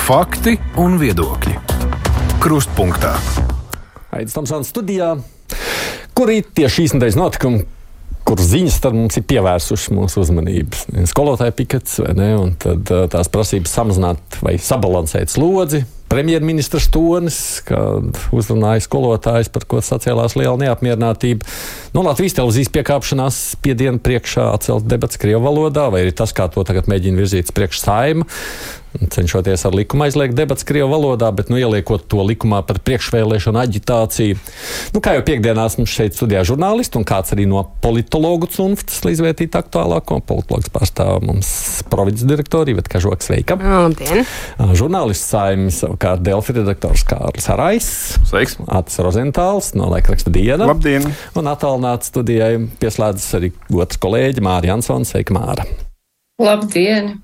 Fakti un viedokļi. Krustpunktā. Aidis Tomsons studijā, kur ir tieši šīs nedēļas notikumi, kur ziņas tad mums ir pievērsušas mūsu uzmanības. Skolotāja pikets, vai ne, un tad tās prasības samazināt vai sabalansēt slodzi. Premjerministrs Tonis, kad uzrunāja skolotājus, par ko sacēlās liela neapmierinātība. Latvijas televīzijas piekāpšanās spiedienu priekšā atcelt debats krievu valodā, vai arī tas, kā to tagad mēģina virzīt priekš Saeima, cenšoties ar likumu aizliegt debats krievu valodā, bet ieliekot to likumā par priekšvēlēšanu aģitāciju. Kā jau piekdienās mums šeit studijā žurnālisti un kāds arī no politologu cunftas, lai izvērtītu aktuālāko. Politologs pārstāv mums provinces direktori Iveta Kažoka, sveika. Labdien. Žurnālists Saeimas savukārt Delfi redaktors Kārlis Harais. Sveiks. Atis Rozentāls no laikraksta Diena. Labdien. Un attālināts studijai pieslēdzas arī otrs kolēģi Māra Jansons. Sveika, Māra. Labdien.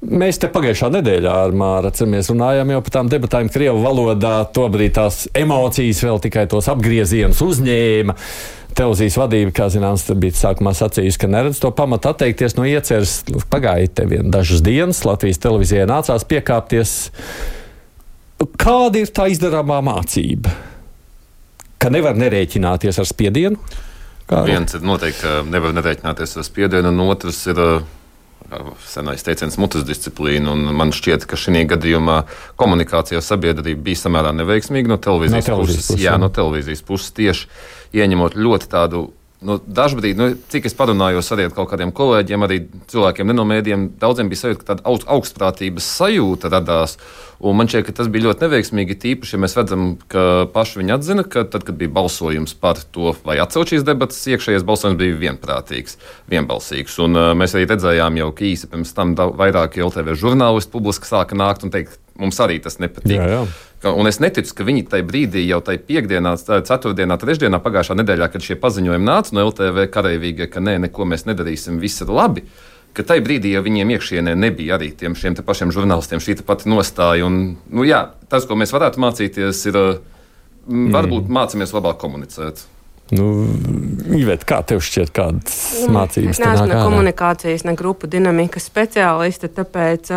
Mēs te pagājušā nedēļā ar Māru runājām jau par tām debatēm krievu valodā. Tobrīd tās emocijas vēl tikai tos apgriezienus uzņēma. Televīzijas vadība, kā zināms, bija sākumā sacījusi, ka neredz to pamatu atteikties no ieceres. Pagāja te vien dažas dienas, Latvijas televīzijai nācās piekāpties. Kāda ir tā izdarāmā mācība? Ka nevar nerēķināties ar spiedienu? Viens ir noteikti, ka nevar nerēķināties ar spiedienu, un otrs ir senais teiciens mutes disciplīna. Man šķiet, ka šī gadījumā komunikācija ar sabiedrību bija samērā neveiksmīga no televīzijas puses. Jā, no televīzijas puses tieši ieņemot ļoti tādu. Dažbrīd, cik es parunājos arī ar kaut kādiem kolēģiem, arī cilvēkiem ne no mēdījiem, daudziem bija sajūta, ka tāda augstprātības sajūta radās. Un man šķiet, ka tas bija ļoti neveiksmīgi, tīpaši, ja mēs redzam, ka paši viņi atzina, ka tad, kad bija balsojums par to, vai atcelt šīs debatas, iekšējais balsojums bija vienbalsīgs. Un mēs arī redzējām jau, ka īsi pirms tam vairāki LTV žurnālisti publiski sāka nākt un teikt, mums arī tas nepatīk. Jā. Un es neticu, ka viņi tajā brīdī, jau tajā piekdienā, ceturtdienā, trešdienā, pagājušā nedēļā, kad šie paziņojumi nāca no LTV kareivīgie, ka nē, neko mēs nedarīsim, viss ir labi, ka tajā brīdī jau viņiem iekšienē nebija arī šiem te pašiem žurnālistiem šī pati nostāja. Un, tas, ko mēs varētu mācīties, ir varbūt mācāmies labāk komunicēt. Iveta, kā tev šķiet, kādas mācības te nāk ārā? Neesmu ne komunikācijas, ne grupu dinamikas speciāliste, tāpēc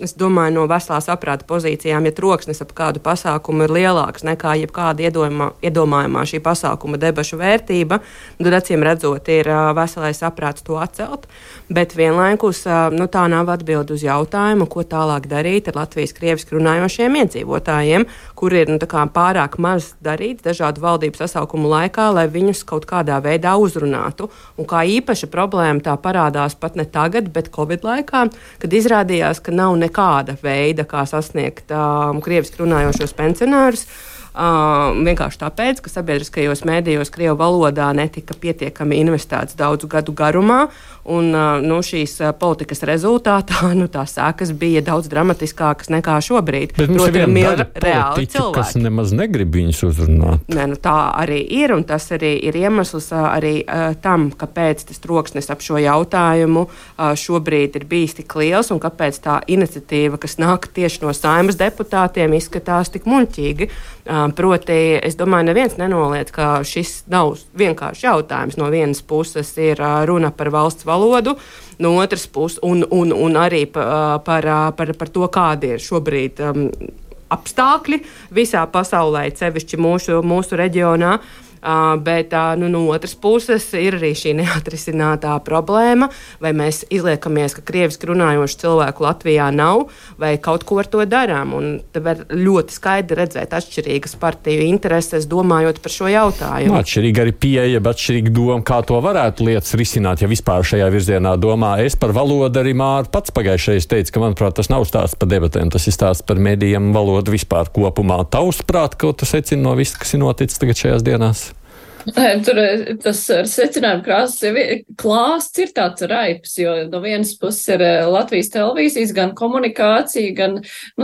es domāju no veselā saprāta pozīcijām, ja troksnis ap kādu pasākumu ir lielāks nekā jebkāda iedomājumā šī pasākuma debašu vērtība, tad acīm redzot ir veselais saprāts to atcelt, bet vienlaikus tā nav atbilde uz jautājumu, ko tālāk darīt ar Latvijas krieviski runājošiem iedzīvotājiem, kur ir pārāk maz darīts dažādu valdību sasaukumu laikā, lai viņus kaut kādā veidā uzrunātu. Un kā īpaša problēma tā parādās pat ne tagad, bet Covid laikā, kad izrādījās, ka nav nekāda veida, kā sasniegt krieviski runājošos pensionārus. Vienkārši tāpēc, ka sabiedriskajos mēdījos krievu valodā netika pietiekami investēts daudzu gadu garumā, un šīs politikas rezultātā tās sekas bija daudz dramatiskākas nekā šobrīd. Bet mums ir viena reāli cilvēki, kas nemaz negrib viņus uzrunāt. Tā arī ir, un tas arī ir iemesls arī tam, kāpēc tas troksnis ap šo jautājumu šobrīd ir bijis tik liels, un kāpēc tā iniciatīva, kas nāk tieši no Saeimas deputātiem, izskatās tik muļķīgi. Proti, es domāju, neviens nenoliedz, ka šis nav vienkārši jautājums. No vienas puses ir runa par valsts valodu, no otras puses un arī par to, kādi ir šobrīd apstākļi visā pasaulē, sevišķi mūsu reģionā. Bet no otras puses ir arī šī neatrisinātā problēma, vai mēs izliekamies, ka krieviski runājošu cilvēku Latvijā nav, vai kaut ko ar to darām. Un te var ļoti skaidri redzēt atšķirīgas partiju intereses, domājot par šo jautājumu. Atšķirīga arī pieeja, bet atšķirīga doma, kā to varētu lietas risināt, ja vispār šajā virzienā domā. Es par valodu arī Māra pats pagājušajā teicu, ka, manuprāt, tas nav stāsts par debatēm, tas ir stāsts par medijiem valodu vispār kopumā. Tavuprāt, ko tu secini no viss, kas ir noticis tagad šajās dienās? Tur tas secinājuma klāsts ir tāds raips, jo no vienas puses ir Latvijas televīzijas gan komunikācija, gan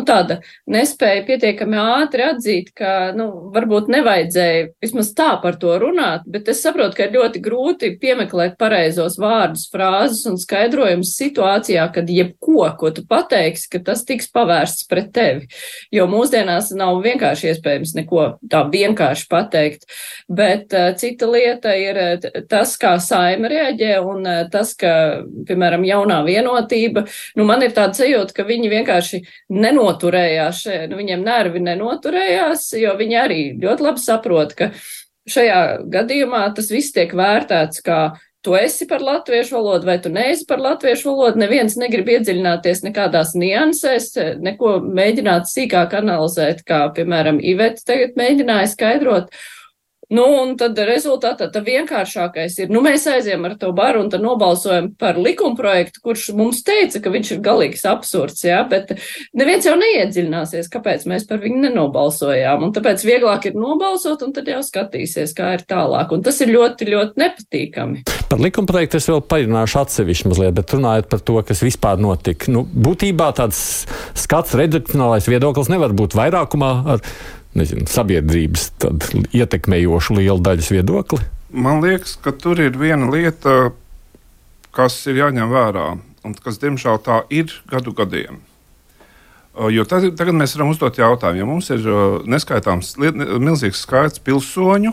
tāda nespēja pietiekami ātri atzīt, ka varbūt nevajadzēja vismaz tā par to runāt, bet es saprotu, ka ir ļoti grūti piemeklēt pareizos vārdus, frāzes un skaidrojumus situācijā, kad jebko, ko tu pateiksi, ka tas tiks pavērsts pret tevi. Jo mūsdienās nav vienkārši iespējams neko tā vienkārši pateikt, bet cita lieta ir tas, kā Saeima reaģē un tas, ka, piemēram, jaunā vienotība, man ir tāda sajūta, ka viņi vienkārši nenoturējās, viņiem nervi nenoturējās, jo viņi arī ļoti labi saprot, ka šajā gadījumā tas viss tiek vērtēts kā tu esi par latviešu valodu vai tu neesi par latviešu valodu, neviens negrib iedziļināties nekādās niansēs, neko mēģināt sīkāk analizēt, kā, piemēram, Iveta tagad mēģināja skaidrot. Un tad rezultātā tā vienkāršākais ir, mēs aizējam ar to baru un tad nobalsojam par likumprojektu, kurš mums teica, ka viņš ir galīgs absurds, bet neviens jau neiedziļināsies, kāpēc mēs par viņu nenobalsojām. Un tāpēc vieglāk ir nobalsot un tad jau skatīsies, kā ir tālāk. Un tas ir ļoti, ļoti nepatīkami. Par likumprojektu es vēl parunāšu atsevišķi mazliet, bet runājot par to, kas vispār notika. Būtībā tāds skats, redakcionālais viedoklis nevar būt vairākumā ar sabiedrības ietekmējošu lielu daļas viedokli? Man liekas, ka tur ir viena lieta, kas ir jāņem vērā, un kas, diemžēl, tā ir gadu gadiem. Jo tagad mēs varam uzdot jautājumu, ja mums ir neskaitāms milzīgs skaits pilsoņu,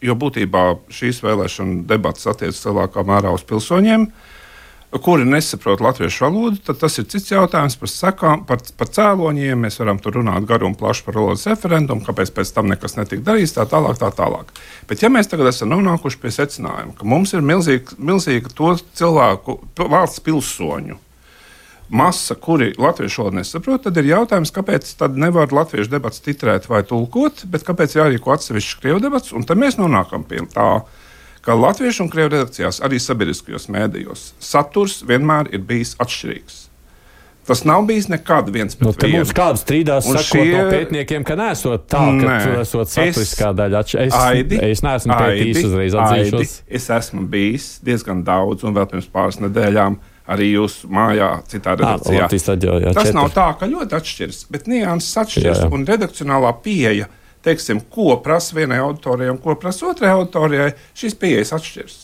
jo būtībā šīs vēlēšana debatas attiecas lielākā mērā uz pilsoņiem, kuri nesaprot latviešu valodu, tad tas ir cits jautājums par sekām, par cēloņiem. Mēs varam tur runāt garu un plašu par valodas referendumu, kāpēc pēc tam nekas netika darīts, tā tālāk. Bet ja mēs tagad esam nonākuši pie secinājuma, ka mums ir milzīga to cilvēku, valsts pilsoņu masa, kuri latviešu valodu nesaprot, tad ir jautājums, kāpēc tad nevar latviešu debats titrēt vai tulkot, bet kāpēc jārīko atsevišķi krievu debats, un tad mēs nonākam pie tā, ka latviešu un krievu redakcijās, arī sabiedriskajos mēdījos, saturs vienmēr ir bijis atšķirīgs. Tas nav bijis nekad viens pret vienu. Mums kāds strīdās sakot no pētniekiem, ka nesot tā, ka tur esot saturiskā daļa. Es neesmu pētījis uzreiz atzīšos. Es esmu bijis diezgan daudz, un vēl pirms pāris nedēļām arī jūsu mājā, citā redakcijā. Tas nav tā, ka ļoti atšķiras, bet nianses atšķiras, un redakcionālā pieeja, teiksim, ko prasa vienai auditorijai un ko prasa otrai auditorijai, šīs pieejas atšķiras.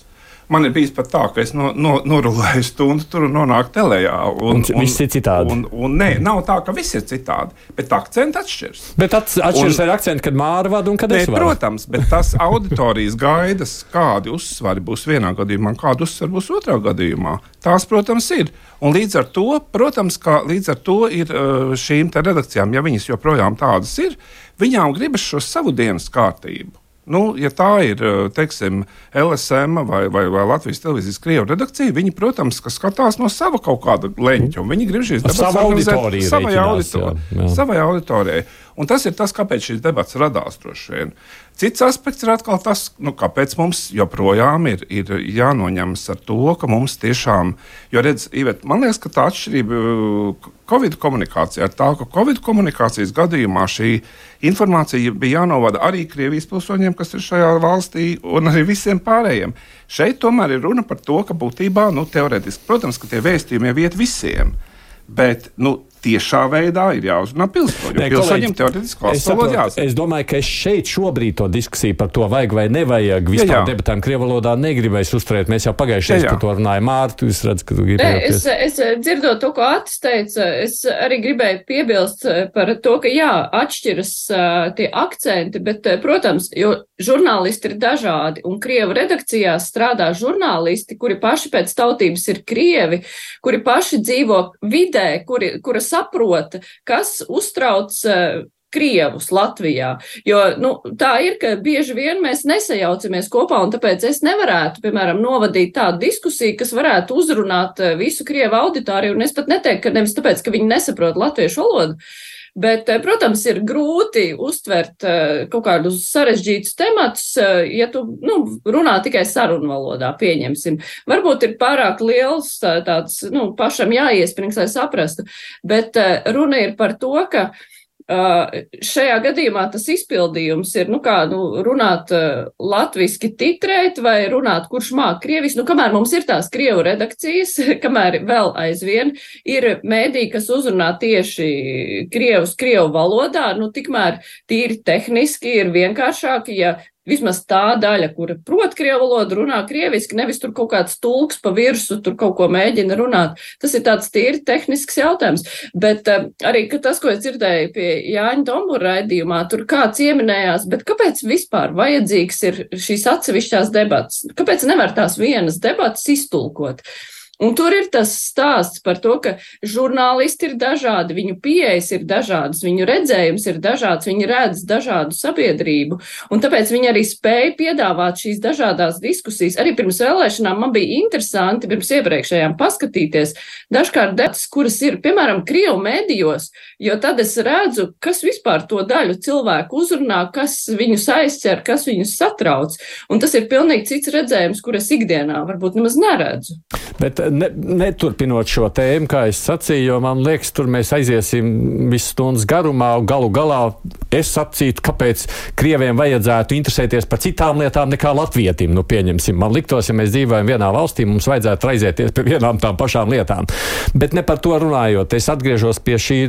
Man ir bijis pat tā, ka es norulēju stundu tur un nonāku telejā. Un viss ir citādi. Un nē, nav tā, ka viss ir citādi, bet akcenti atšķiras. Bet atšķiras ar akcentu, kad Māra vada un kad es vadu. Protams, bet tas auditorijas gaidas, kādi uzsvari būs vienā gadījumā, kādi uzsvari būs otrā gadījumā, tās, protams, ir. Un līdz ar to, protams, ir šīm te redakcijām, ja viņas joprojām tādas ir, viņām gribas šo savu dienas kārtību. Ja tā ir, teiksim, LSM vai Latvijas televīzijas krievu redakcija, viņi, protams, skatās no sava kaut kāda leņķa, un viņi grib šīs debatas organizēt savai auditorijai. Un tas ir tas, kāpēc šīs debatas radās droši vien. Cits aspekts ir atkal tas, kāpēc mums joprojām ir jānoņemas ar to, ka mums tiešām, jo redz, Iveta, man liekas, ka tā atšķirība Covid komunikācijā ir tā, ka Covid komunikācijas gadījumā šī informācija bija jānovada arī Krievijas pilsoņiem, kas ir šajā valstī, un arī visiem pārējiem. Šeit tomēr ir runa par to, ka būtībā, teorētiski, protams, ka tie vēstījumi jau iet visiem, bet, tiešā veidā ir jāuzrunā pilsoņiem. Pilsoņiem teorētiski valsts valoda jāsaka. Es domāju, ka es šeit šobrīd to diskusiju par to vajag vai nevajag vispār debatām krievu valodā negribēju uzturēt. Mēs jau pagājušajā par to runājām. Mārta, jūs redzat, ka tu gribēji. Es dzirdot to, ko Atis teica, es arī gribēju piebilst par to, ka atšķiras tie akcenti, bet, protams, jo žurnālisti ir dažādi, un krievu redakcijās strādā žurnālisti, kuri paši pēc tautības ir krievi, kuri paši dzīvo vidē, kura saprota, kas uztrauc krievus Latvijā. Jo tā ir, ka bieži vien mēs nesajaucamies kopā, un tāpēc es nevarētu, piemēram, novadīt tādu diskusiju, kas varētu uzrunāt visu krievu auditoriju, un es pat neteiktu, ka nevis tāpēc, ka viņi nesaprot latviešu valodu, bet, protams, ir grūti uztvert kaut kādus sarežģītus tematus, ja tu runā tikai sarunu valodā, pieņemsim. Varbūt ir pārāk liels tāds, pašam jāiesprings, lai saprastu, bet runa ir par to, ka šajā gadījumā tas izpildījums ir, runāt latviski titrēt vai runāt, kurš māk krieviski. Kamēr mums ir tās krievu redakcijas, kamēr vēl aizvien ir mēdī, kas uzrunā tieši krievu valodā, tikmēr tīri tehniski ir vienkāršāk, ja vismaz tā daļa, kura prot krievu valodu, runā krieviski, nevis tur kaut kāds tulks pa virsu, tur kaut ko mēģina runāt. Tas ir tāds tīri tehnisks jautājums. Bet arī tas, ko es dzirdēju pie Jāņa Tombura raidījumā, tur kāds ieminējās, bet kāpēc vispār vajadzīgs ir šīs atsevišķās debatas? Kāpēc nevar tās vienas debatas iztulkot? Un tur ir tas stāsts par to, ka žurnālisti ir dažādi, viņu pieejas ir dažādas, viņu redzējums ir dažāds, viņi redz dažādu sabiedrību, un tāpēc viņi arī spēja piedāvāt šīs dažādās diskusijas. Arī pirms vēlēšanām man bija interesanti, pirms iepriekšējām paskatīties dažkārt debatas, kuras ir, piemēram, Krievu medijos, jo tad es redzu, kas vispār to daļu cilvēku uzrunā, kas viņus aizķer, kas viņus satrauc, un tas ir pilnīgi cits redzējums, kur es ikdienā varbūt nemaz neredzu. Bet neturpinot šo tēmu, kā es sacīju, jo man liekas, tur mēs aiziesim visu stundas garumā, un galu galā es sacītu, kāpēc Krieviem vajadzētu interesēties par citām lietām nekā latvietim. Nu, pieņemsim, man liktos, ja mēs dzīvojam vienā valstī, mums vajadzētu raizēties pie vienām tām pašām lietām. Bet ne par to runājot, es atgriežos pie šī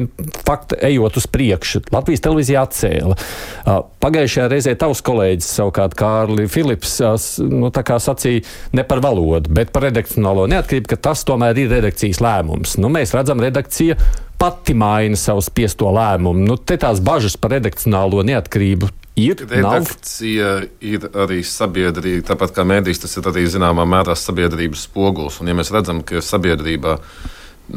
fakta, ejot uz priekšu. Latvijas televīzija atcēla. Pagājušajā reizē tavs kolēģis, savukārt Kārli Filips, tā kā sacīja ne par valodu, bet par redakcionālo neatkarību, ka tas tomēr ir redakcijas lēmums. Mēs redzam, redakcija pati maina savu spiesto lēmumu. Te tās bažas par redakcionālo neatkarību ir. Redakcija ir arī sabiedrība, tāpat kā mēdīs, tas ir arī zināmā mērā sabiedrības spogulis. Un ja mēs redzam, ka sabiedrībā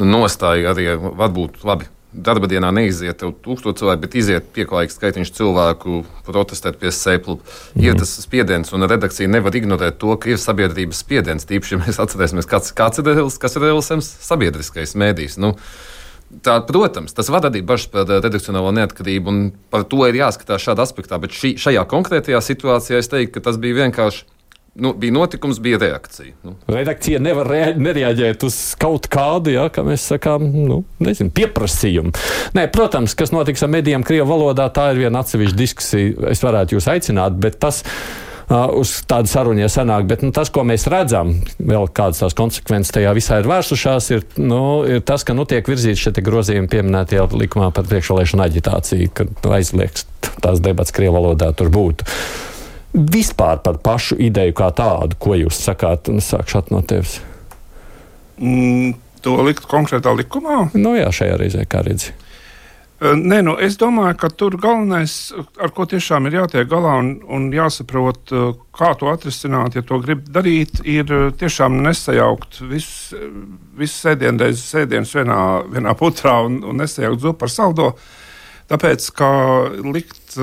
nostāja arī varbūt labi. Darba dienā neiziet 1000 cilvēku, bet iziet pieklājīgs skaitiņš cilvēku protestēt pie sēklu. Ir tas spiediens, un redakcija nevar ignorēt to, ka ir sabiedrības spiediens. Tīpaši, ja mēs atcerēsimies, kas ir LSM sabiedriskais mēdījis. Protams, tas var radīt bažas par redakcionālo neatkarību, un par to ir jāskatās šādā aspektā. Bet šajā konkrētajā situācijā es teiktu, ka tas bija vienkārši. Bija notikums, bija reakcija. Redakcija nevar nereaģēt uz kaut kādu, kā mēs sakām, pieprasījumu. Nē, protams, kas notiks ar medijiem Krievu valodā, tā ir viena atsevišķa diskusija. Es varētu jūs aicināt, bet tas uz tādu sarunu sanāk. Bet tas, ko mēs redzam, vēl kādas tās konsekvences tajā visā ir vērsušās, ir tas, ka tiek virzīts šie grozījumi pieminētajā likumā par priekšvēlēšanu aģitāciju, ka aizliegts tās debats Krievu valodā tur būtu. Vispār par pašu ideju kā tādu, ko jūs sakāt, un sākšu no tevis? To likt konkrētā likumā? Jā, šajā reizē, kā redzi. Nē, es domāju, ka tur galvenais, ar ko tiešām ir jātiek galā un jāsaprot, kā to atrisināt, ja to grib darīt, ir tiešām nesajaukt visu sēdienus vienā putrā un nesajaukt zupu ar saldo. Tāpēc, kā likt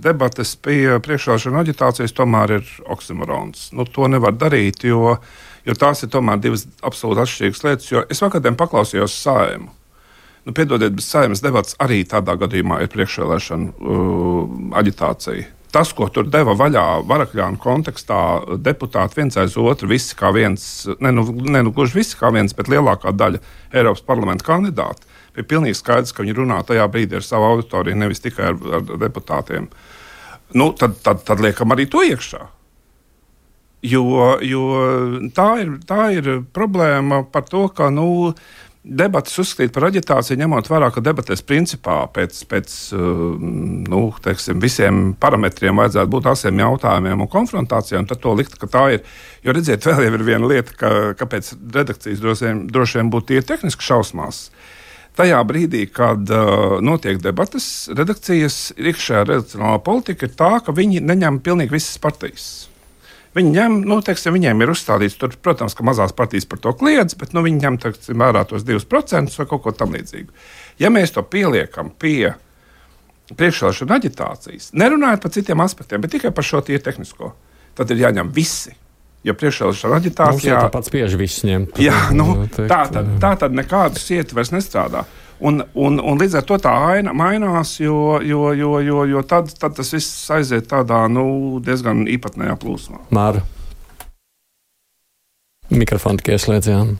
debates pie priekšvēlēšanu aģitācijas tomēr ir oksimorons. To nevar darīt, jo tās ir tomēr divas absolūti atšķirīgas lietas. Jo es vakardien paklausījos Saeimu. Piedodiet, bet Saeimas debats arī tādā gadījumā ir priekšvēlēšanu aģitācija. Tas, ko tur deva vaļā Varakļānu kontekstā deputāti viens aiz otru, visi kā viens, gluži visi kā viens, bet lielākā daļa Eiropas parlamenta kandidāti, bija pilnīgi skaidrs, ka viņi runā tajā brīdī ar savu auditoriju, nevis tikai ar deputātiem. Tad liekam arī to iekšā. Jo tā ir problēma par to, ka debatas uzskatīt par aģitāciju, ņemot vērā, ka debatēs principā pēc visiem parametriem vajadzētu būt asiem jautājumiem un konfrontācijām, tad to likt, ka tā ir. Jo redziet, vēl jau ir viena lieta, kāpēc redakcijas droši vien būtu tie tehniski šausmās. Tajā brīdī, kad notiek debatas, redakcijas iekšējā redakcionālā politika ir tā, ka viņi neņem pilnīgi visas partijas. Viņi ņem, viņiem ir uzstādīts, tur, protams, ka mazās partijas par to kliedz, bet viņi ņem vērā tos 2% vai kaut ko tam līdzīgu. Ja mēs to pieliekam pie priekšvēlēšanu aģitācijas, nerunājot par citiem aspektiem, bet tikai par šo tie tehnisko, tad ir jāņem visi. Ja priekšvēlēšanu aģitācijā tāpat spiež visus ņemt. Jā, tā tad nekādas sieti vairs nestrādā. Un līdz ar to tā aina mainās, jo tad tas viss aiziet tādā diezgan īpatnējā plūsmā. Māra. Mikrofonu tikai ieslēdzām.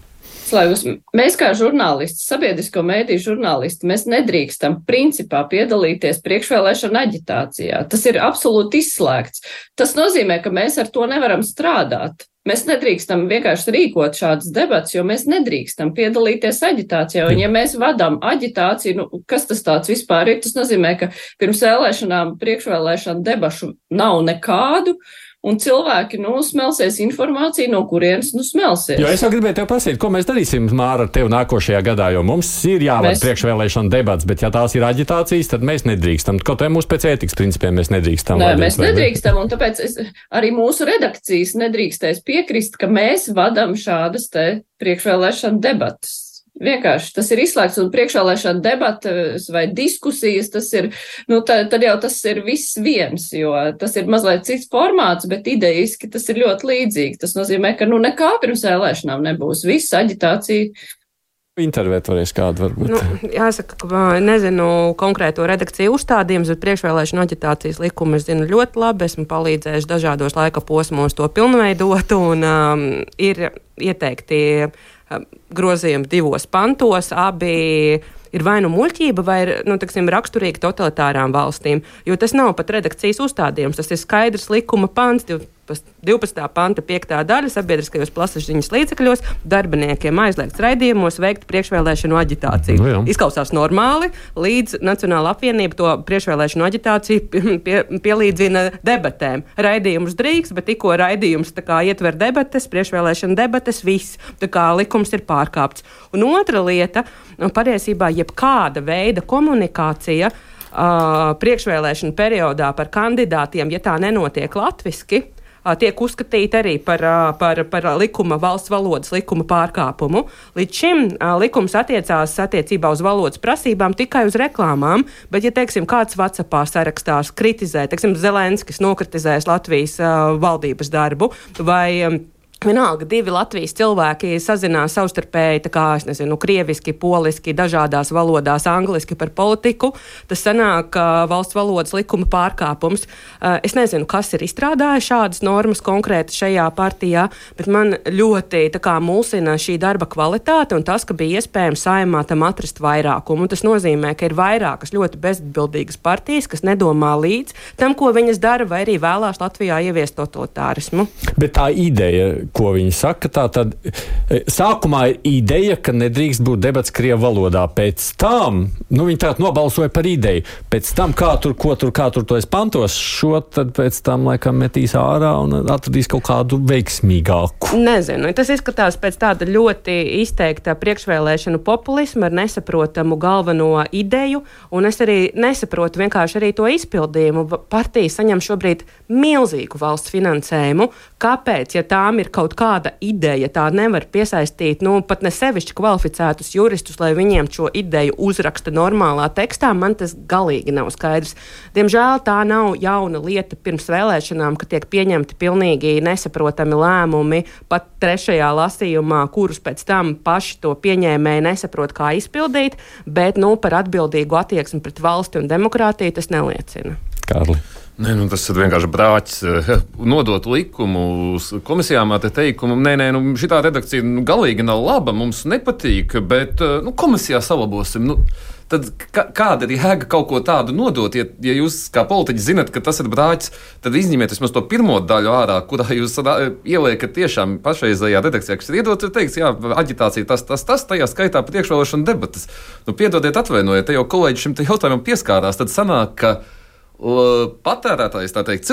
Mēs kā žurnālisti, sabiedrisko mēdīju žurnālisti, mēs nedrīkstam principā piedalīties priekšvēlēšanu aģitācijā. Tas ir absolūti izslēgts. Tas nozīmē, ka mēs ar to nevaram strādāt. Mēs nedrīkstam vienkārši rīkot šādas debatas, jo mēs nedrīkstam piedalīties aģitācijā. Un ja mēs vadām aģitāciju, kas tas tāds vispār ir? Tas nozīmē, ka pirms vēlēšanām, priekšvēlēšanu debašu nav nekādu. Un cilvēki, smelsies informāciju, no kurienes, smelsies. Jo es jau gribēju tev prasīt, ko mēs darīsim, Māra, ar tevi nākošajā gadā, jo mums ir jāvada priekšvēlēšana debats, bet ja tās ir aģitācijas, tad mēs nedrīkstam. Kaut vai mūsu pēc ētikas principiem mēs nedrīkstam. Nē, mēs nedrīkstam, un tāpēc arī mūsu redakcijas nedrīkstēs piekrist, ka mēs vadam šādas te priekšvēlēšana debatas. Vienkārši tas ir izslēgts, un priekšvēlēšana debatas vai diskusijas, tas ir, tad jau tas ir viss viens, jo tas ir mazliet cits formāts, bet ideiski tas ir ļoti līdzīgi. Tas nozīmē, ka nekā pirms vēlēšanām nebūs. Viss aģitācija. Intervēt varēs kādu varbūt. Jāsaka, ka nezinu konkrēto redakciju uzstādījumus, bet priekšvēlēšana aģitācijas likumu es zinu ļoti labi. Esmu palīdzējuši dažādos laika posmos to pilnveidot, un ir ieteikti grozījumi 2 pantos, abi ir vai muļķība, vai ir, raksturīgi totalitārām valstīm, jo tas nav pat redakcijas uzstādījums, tas ir skaidrs likuma pants, 12. panta 5. daļa sabiedriskajos plašsaziņas līdzekļos darbiniekiem aizliegts raidījumos veikt priekšvēlēšanu aģitāciju. Izklausās normāli, līdz Nacionāla apvienība to priekšvēlēšanu aģitāciju pielīdzina debatēm. Raidījumus drīkst, bet tikko raidījums ietver debates, priekšvēlēšanu debates, viss. Tā kā likums ir pārkāpts. Un otra lieta, patiesībā jebkāda veida komunikācija priekšvēlēšanu periodā par kandidātiem, ja tā nenotiek latviski, tiek uzskatīta arī par valsts valodas likuma pārkāpumu. Līdz šim likums attiecās attiecībā uz valodas prasībām tikai uz reklāmām, bet, ja, kāds WhatsAppā sarakstās kritizē, Zelenskis nokritizēs Latvijas valdības darbu, vai vienalga 2 Latvijas cilvēki sazinās savstarpēji, krieviski, poliski, dažādās valodās, angliski par politiku, tas sanāk valsts valodas likuma pārkāpums. Es nezinu, kas ir izstrādājis šādas normas konkrēti šajā partijā, bet man ļoti mulsina šī darba kvalitāte un tas, ka bija iespējams Saeimā tam atrast vairākumu. Tas nozīmē, ka ir vairākas ļoti bezatbildīgas partijas, kas nedomā līdz tam, ko viņas dara, vai arī vēlās Latvijā ieviest totalitārismu. Bet tā ideja, ko viņi saka, tā tad sākumā ir ideja, ka nedrīkst būt debats krievu valodā. Pēc tam, viņi tā nobalsoja par ideju. Pēc tam, kā tur to es pantos, šo tad pēc tam laikam metīs ārā un atradīs kaut kādu veiksmīgāku. Nezinu, tas izskatās pēc tāda ļoti izteikta priekšvēlēšanu populisma ar nesaprotamu galveno ideju, un es arī nesaprotu vienkārši arī to izpildījumu. Partija saņem šobrīd milzīgu valsts finansējumu. Kāpēc, ja tām ir kaut kāda ideja, tā nevar piesaistīt, pat ne sevišķi kvalificētus juristus, lai viņiem šo ideju uzraksta normālā tekstā, man tas galīgi nav skaidrs. Diemžēl tā nav jauna lieta pirms vēlēšanām, ka tiek pieņemti pilnīgi nesaprotami lēmumi, pat 3. lasījumā, kurus pēc tam paši to pieņēmēji nesaprot, kā izpildīt, bet par atbildīgu attieksmi pret valsti un demokrātiju tas neliecina. Kārli. Nē, tas ir vienkārši brāķis nodot likumu uz komisijām ar teikumu, šitā redakcija galīgi nav laba, mums nepatīk, bet komisijā salabosim. Tad kāda ir jēga kaut ko tādu nodot? Ja jūs kā politiķi zinat, ka tas ir brāķis, tad izņemiet vismaz to pirmo daļu ārā, kurā jūs ieliekat tiešām pašreizējā redakcijā, kas ir iedot, ir teiks, jā, aģitācija tas, tajā skaitā priekšvēlēšana debatas. Piedodiet, atvainojiet, te jau kolēģi šim jautājumam pieskārās, tad sanāk, ka patērētājs, tā teikt,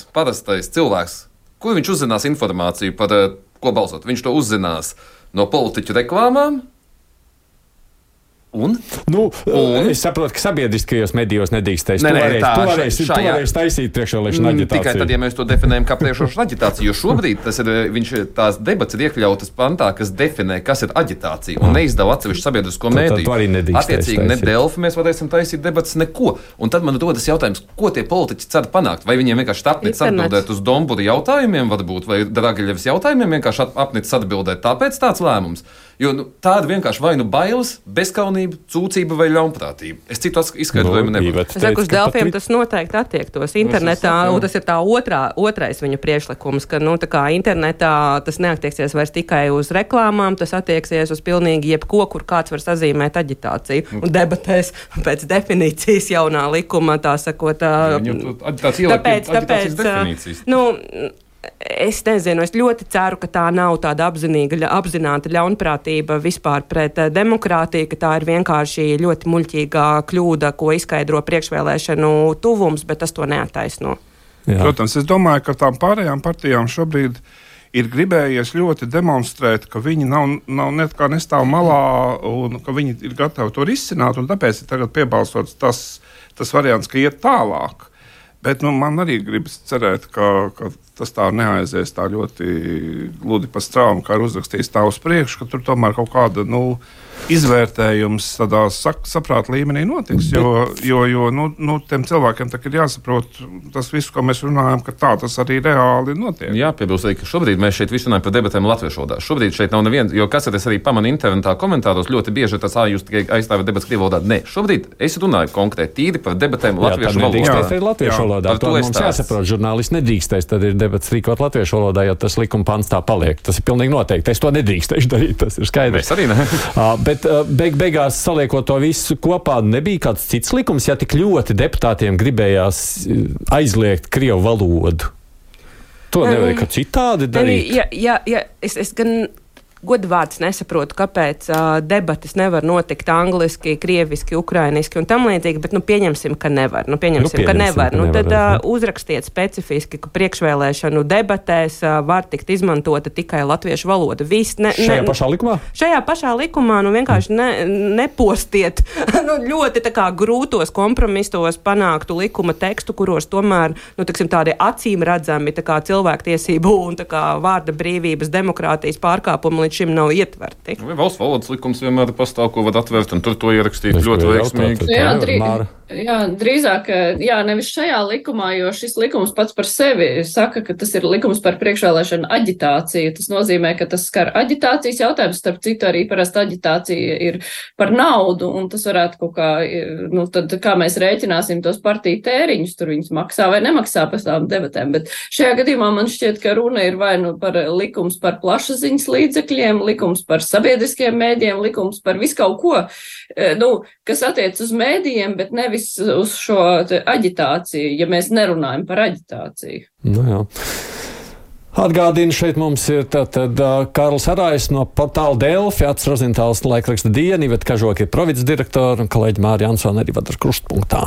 parastais cilvēks, kur viņš uzzinās informāciju par ko balsot? Viņš to uzzinās no politiķu reklāmām. Es saprotu, ka sabiedriskajos medijos nedrīkstēs. Tu varēsi taisīt priekšvēlēšanu aģitāciju. Tikai tad, ja mēs to definējam kā priekšvēlēšanu aģitāciju, jo šobrīd tās debats ir iekļautas pantā, kas definē, kas ir aģitācija, un neizdala atsevišķu sabiedrisko mediju. Attiecīgi, ne Delfi mēs varēsim taisīt debatas, neko. Un tad man rodas jautājums, ko tie politiķi cer panākt? Vai viņiem vienkārši apnicis atbildēt uz Dombura jautājumiem, varbūt, vai Dragiļevas jautājumiem vienkārši apnicis atbildēt, tāpēc tāds lēmums? Jo tāda vienkārši vai bailes, bezkaunība, cūcība vai ļaunprātība. Es citu izskaidrojumu nevaru. Es saku, uz Delfiem tas noteikti attiektos internetā, un tas ir tā otrais viņu priekšlikums, ka tā kā internetā tas neattieksies vairs tikai uz reklāmām, tas attieksies uz pilnīgi jebko, kur kāds var sazīmēt aģitāciju. Un debatēs pēc definīcijas jaunā likuma, tā sakot. Tāpēc definīcijas. Es nezinu, es ļoti ceru, ka tā nav tāda apzināta ļaunprātība vispār pret demokrātiju, ka tā ir vienkārši ļoti muļķīgā kļūda, ko izskaidro priekšvēlēšanu tuvums, bet tas to neattaisno. Jā. Protams, es domāju, ka tām pārējām partijām šobrīd ir gribējies ļoti demonstrēt, ka viņi nav nekā nestāv malā un ka viņi ir gatavi to risināt, un tāpēc ir tagad piebalsots tas variants, ka iet tālāk. Bet man arī gribas cerēt, ka tas tā neaizies tā ļoti gludi pa straumu, kā ir uzrakstījis tā uz priekšu, ka tur tomēr kaut kāda izvērtējums tādā saprāta līmenī notiks. Jo tiem cilvēkiem ir jāsaprot tas viss, ko mēs runājam, ka tā tas arī reāli notiek. Jā, piebilst arī, ka šobrīd mēs šeit visu runājam par debatēm latviešu valodā. Šobrīd šeit nav neviens, jo kas es arī pamanu internetā komentāros, ļoti bieži tas jūs tikai aizstāvat debatas krievu valodā. Nē, šobrīd es runāju konkrēti tīri par debatēm latviešu valodā. To mums jāsaprot, žurnālisti nedrīkstēs, tad ir debats rīkot latviešu valodā, ja tas likuma pants tā paliek. Tas ir pilnīgi noteikti. Es to nedrīkstēšu darīt, tas ir skaidrs. Mēs arī ne. Bet beigās saliekot to visu kopā, nebija kāds cits likums, ja tik ļoti deputātiem gribējās aizliegt krievu valodu. To nevajag kā citādi darīt. Jā, es gan godvārds nesaprotu, kāpēc debatas nevar notikt angliski, krieviski, ukrainiski un tam līdzīgi, bet pieņemsim, ka nevar. Tad uzrakstiet specifiski, ka priekšvēlēšanu debatēs var tikt izmantota tikai latviešu valoda. Šajā pašā likumā? Šajā pašā likumā vienkārši nepostiet ļoti tā kā grūtos kompromisos panāktu likuma tekstu, kuros tomēr tādi acīm redzami tā kā cilvēktiesību un tā kā vārda brīvības, demokrātijas pārkāpumi līdz šim nav ietverti. Valsts valodas likums vienmēr pastāv, ko var atvērt, un tur to ierakstīt ļoti veiksmīgi. Drīzāk, nevis šajā likumā, jo šis likums pats par sevi saka, ka tas ir likums par priekšvēlēšanu aģitāciju. Tas nozīmē, ka tas skar aģitācijas jautājums, starp citu arī parasti aģitācija ir par naudu, un tas varētu kaut kā, tad kā mēs rēķināsim tos partiju tēriņus, tur viņus maksā vai nemaksā pēc tām debatēm, bet šajā gadījumā man šķiet, ka runa ir vai par likums par plašsaziņas līdzekļiem, likums par sabiedriskiem mēdiem, likums par visu kaut ko, kas attiec uz mēdījiem, bet nevis uz šo aģitāciju, ja mēs nerunājam par aģitāciju. Jā. Atgādinu, šeit mums ir tātad Kārlis Arājs no portāla Delfi, Acis Rozentāls laikraksta Diena, Iveta Kažoka ir provides direktora un kolēģi Māri Jansone arī vada Krustpunktā.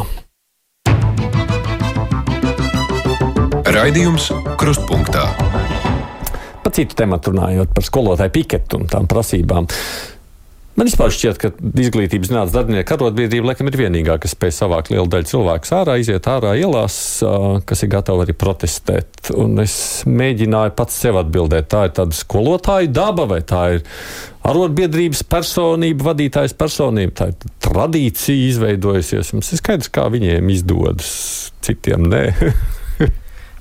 Raidījums Krustpunktā. Par citu tematu runājot, par skolotāju piketu un tām prasībām. Man vispār šķiet, ka izglītības zinātnes darbinieku arotbiedrība laikam ir vienīgā, kas spēj savākt lielu daļu cilvēku ārā, iziet ārā ielās, kas ir gatavi arī protestēt. Un es mēģināju pats sev atbildēt, tā ir tāda skolotāja daba vai tā ir arotbiedrības personība, vadītājas personība, tā ir tradīcija izveidojusies. Mums ir skaidrs, kā viņiem izdodas, citiem nē.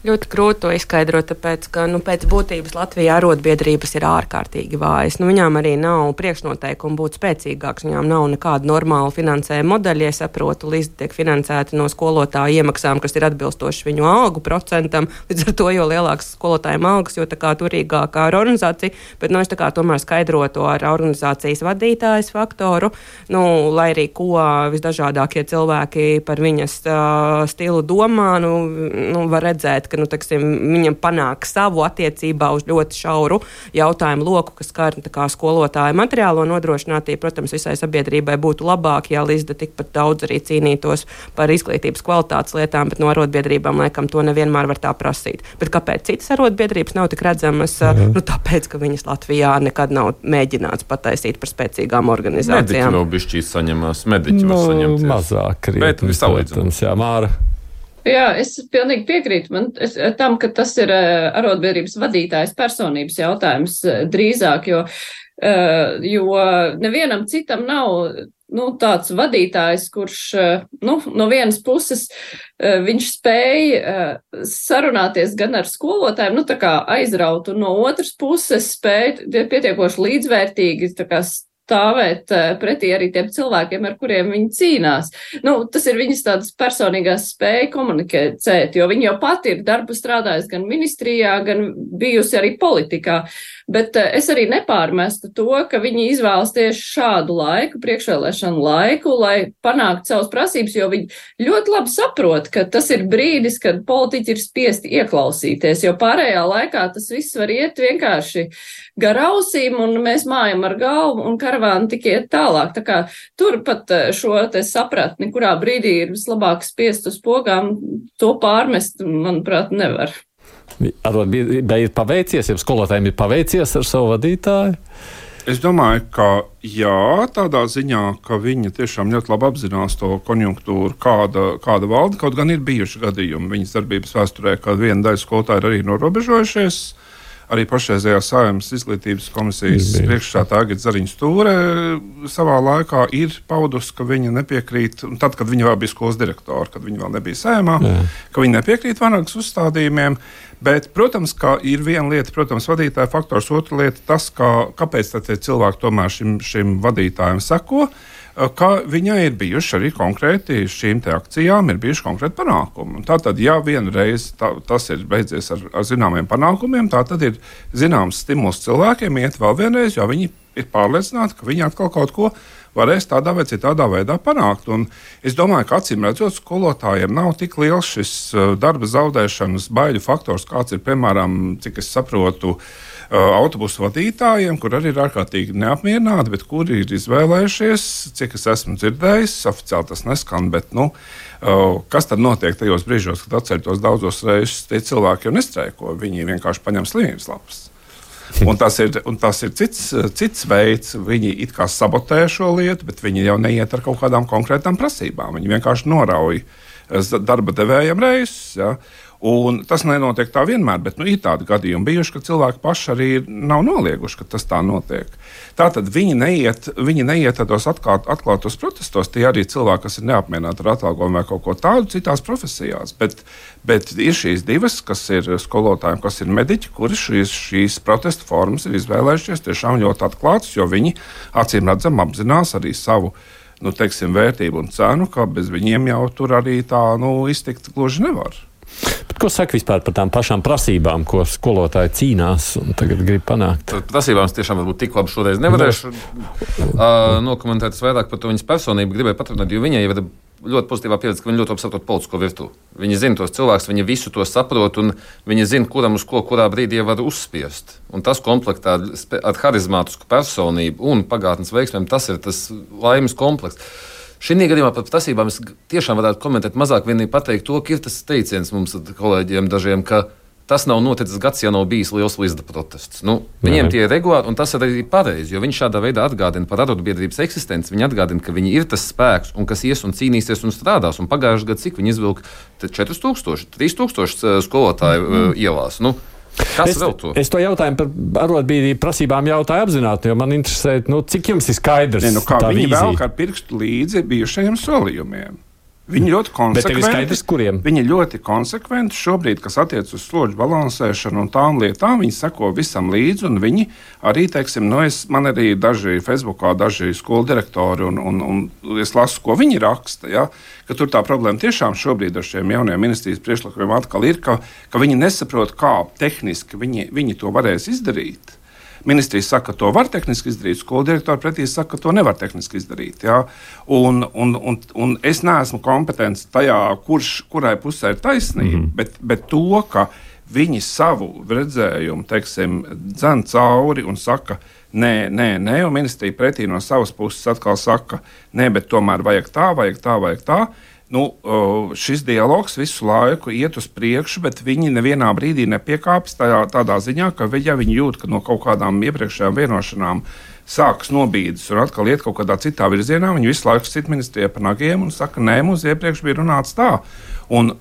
Ļoti grūti to izskaidrot, tāpēc, ka pēc būtības Latvijā arotbiedrības ir ārkārtīgi vājas. Viņām arī nav priekšnoteikumu būt spēcīgāks. Viņām nav nekāda normāla finansējuma modeļa. Ja saprotu, līdz tiek finansēti no skolotāju iemaksām, kas ir atbilstoši viņu algu procentam. Līdz ar to, jo lielāks skolotājiem algas, jo tā kā turīgākā ir organizācija. Bet es tā kā tomēr skaidrotu ar organizācijas vadītājas faktoru. Lai arī ko visdažādākie cilvēki par viņas stilu domā, var redzēt, ka viņam panāk savu attiecībā uz ļoti šauru jautājumu loku, kas skar skolotāju materiālo nodrošinātību. Protams, visai sabiedrībai būtu labāk, ja Lizda tikpat daudz arī cīnītos par izglītības kvalitātes lietām, bet no arotbiedrībām laikam to nevienmēr var tā prasīt. Bet kāpēc citas arotbiedrības nav tik redzamas? Tāpēc, ka viņas Latvijā nekad nav mēģināts pataisīt par spēcīgām organizācijām. Mediķi vēl bišķīs saņemās, mediķi var saņemties. Mazāk, bet visalīdzināms. Jā, Māra. Jā, es pilnīgi piekrītu tam, ka tas ir arotbiedrības vadītājas personības jautājums drīzāk, jo nevienam citam nav tāds vadītājs, kurš no vienas puses viņš spēja sarunāties gan ar skolotājiem, tā kā aizraut, un no otras puses spēja pietiekoši līdzvērtīgi stāvēt pretī arī tiem cilvēkiem, ar kuriem viņi cīnās. Tas ir viņas tādas personīgās spēja komunicēt, jo viņi jau pati ir darbu strādājis gan ministrijā, gan bijusi arī politikā. Bet es arī nepārmestu to, ka viņi izvēlas tieši šādu laiku, priekšvēlēšanu laiku, lai panāktu savas prasības, jo viņi ļoti labi saprot, ka tas ir brīdis, kad politiķi ir spiesti ieklausīties, jo pārējā laikā tas viss var iet vienkārši gar ausīm, un mēs mājam ar galvu, un karavāni tik iet tālāk. Tā kā tur pat šo te sapratni, kurā brīdī ir vislabāk spiest uz pogām, to pārmest, manuprāt, nevar. Arotbiedrībai ir paveicies, ja skolotājiem ir paveicies ar savu vadītāju? Es domāju, ka jā, tādā ziņā, ka viņi tiešām ļoti labi apzinās to konjunktūru, kāda valda, kaut gan ir bijuši gadījumi viņas darbības vēsturē, kad viena daļa skolotāji ir arī norobežojušies. Arī pašreizējā Saeimas izglītības komisijas priekšsēdētāja Agita Zariņš-Stūre savā laikā ir paudusi, ka viņa nepiekrīt, tad, kad viņa vēl bija skolas direktora, kad viņa vēl nebija Saeimā, ka viņa nepiekrīt Vanagas uzstādījumiem. Bet, protams, ka ir viena lieta, vadītāja faktors, otra lieta tas, kāpēc tad cilvēki tomēr šim vadītājam seko, ka viņai ir bijuši arī konkrēti šīm te akcijām, ir bijuši konkrēti panākumi. Tātad, ja vienreiz tas ir beidzies ar zināmiem panākumiem, tātad ir zināms stimuls cilvēkiem iet vēl vienreiz, jo viņi ir pārliecināti, ka viņi atkal kaut ko varēs tādā vai citādā veidā panākt. Un es domāju, ka acīm redzot, skolotājiem nav tik liels šis darba zaudēšanas baiļu faktors, kāds ir, piemēram, cik es saprotu, autobusu vadītājiem, kur arī ir ārkārtīgi neapmierināti, bet kuri ir izvēlējušies, cik es esmu dzirdējis, oficiāli tas neskan, bet, kas tad notiek tajos brīžos, kad atceļtos daudzos reizes, tie cilvēki jau nestreiko, viņi vienkārši paņem slimības lapas. Un tas ir cits veids, viņi it kā sabotē šo lietu, bet viņi jau neiet ar kaut kādām konkrētām prasībām, viņi vienkārši norauj darba devējiem reizes, ja? Un tas nenotiek tā vienmēr, bet ir tādi gadījumi bijuši, ka cilvēki paši arī nav nolieguši, ka tas tā notiek. Tātad viņi neiet tādos atklātos protestos, tie arī cilvēki, kas ir neapmierināti ar atalgojumu vai kaut ko tādu citās profesijās. Bet ir šīs divas, kas ir skolotājiem, kas ir mediķi, kuri šīs protesta formas ir izvēlējušies tiešām ļoti atklātas, jo viņi acīm redzam apzinās arī savu vērtību un cenu, ka bez viņiem jau tur arī tā iztikt gluži nevar. Bet ko saka vispār par tām pašām prasībām, ko skolotāji cīnās un tagad grib panākt? Par prasībām es tiešām varbūt tik labi šoreiz nevarēšu nokomentēt vairāk par to viņas personību. Gribēju paturpināt, jo viņai ir ļoti pozitīvā pieredze, ka viņa ļoti labi saprot politisko virtuvi. Viņa zina tos cilvēkus, viņa visu to saprot un viņa zina, kuram uz ko, kurā brīdī var uzspiest. Un tas komplektā ar harizmātisku personību un pagātnes veiksmēm, tas ir tas laimes komplekts. Šī gadījumā par prasībām es tiešām varētu komentēt mazāk, vienīgi pateikt to, ka ir tas teiciens mums kolēģiem dažiem, ka tas nav noticis gads, ja nav bijis liels līdzda protests. Viņiem tie ir regulāri, un tas arī ir pareizi, jo viņi šādā veidā atgādina par arotbiedrības eksistenci, viņi atgādina, ka viņi ir tas spēks, un kas ies un cīnīsies un strādās. Un pagājušajā gadā cik viņi izvilka 4000, 3000 skolotāju ielās. Es to jautājumu par arotbiedrību prasībām jautāju apzināti, jo man interesē, cik jums ir skaidrs. Viņi velk ar pirkstu līdzi bijušajiem solījumiem. Viņi ļoti konsekventi. Viņi ļoti konsekventi šobrīd, kas attiec uz slodžu balansēšanu un tām lietām, viņi seko visam līdzi, un viņi arī, man arī daži Facebookā, daži skolu direktori, un es lasu, ko viņi raksta, ja, ka tur tā problēma tiešām šobrīd ar šiem jaunajiem ministrijas priekšlikumiem atkal ir, ka viņi nesaprot, kā tehniski viņi to varēs izdarīt. Ministrija saka, ka to var tehniski izdarīt, skolu direktori pretī saka, ka to nevar tehniski izdarīt. Ja? Un es neesmu kompetents tajā, kurai pusē ir taisnība, bet to, ka viņi savu redzējumu, dzen cauri un saka, nē, un ministrija pretī no savas puses atkal saka, nē, bet tomēr vajag tā. Šis dialogs visu laiku iet uz priekšu, bet viņi nevienā brīdī nepiekāpjas tādā ziņā, ka ja viņi jūt, ka no kaut kādām iepriekšējām vienošanām sākas nobīdes un atkal iet kaut kādā citā virzienā, viņi visu laiku sit ministrijai par nagiem un saka, nē, mums iepriekš bija runāts tā. Un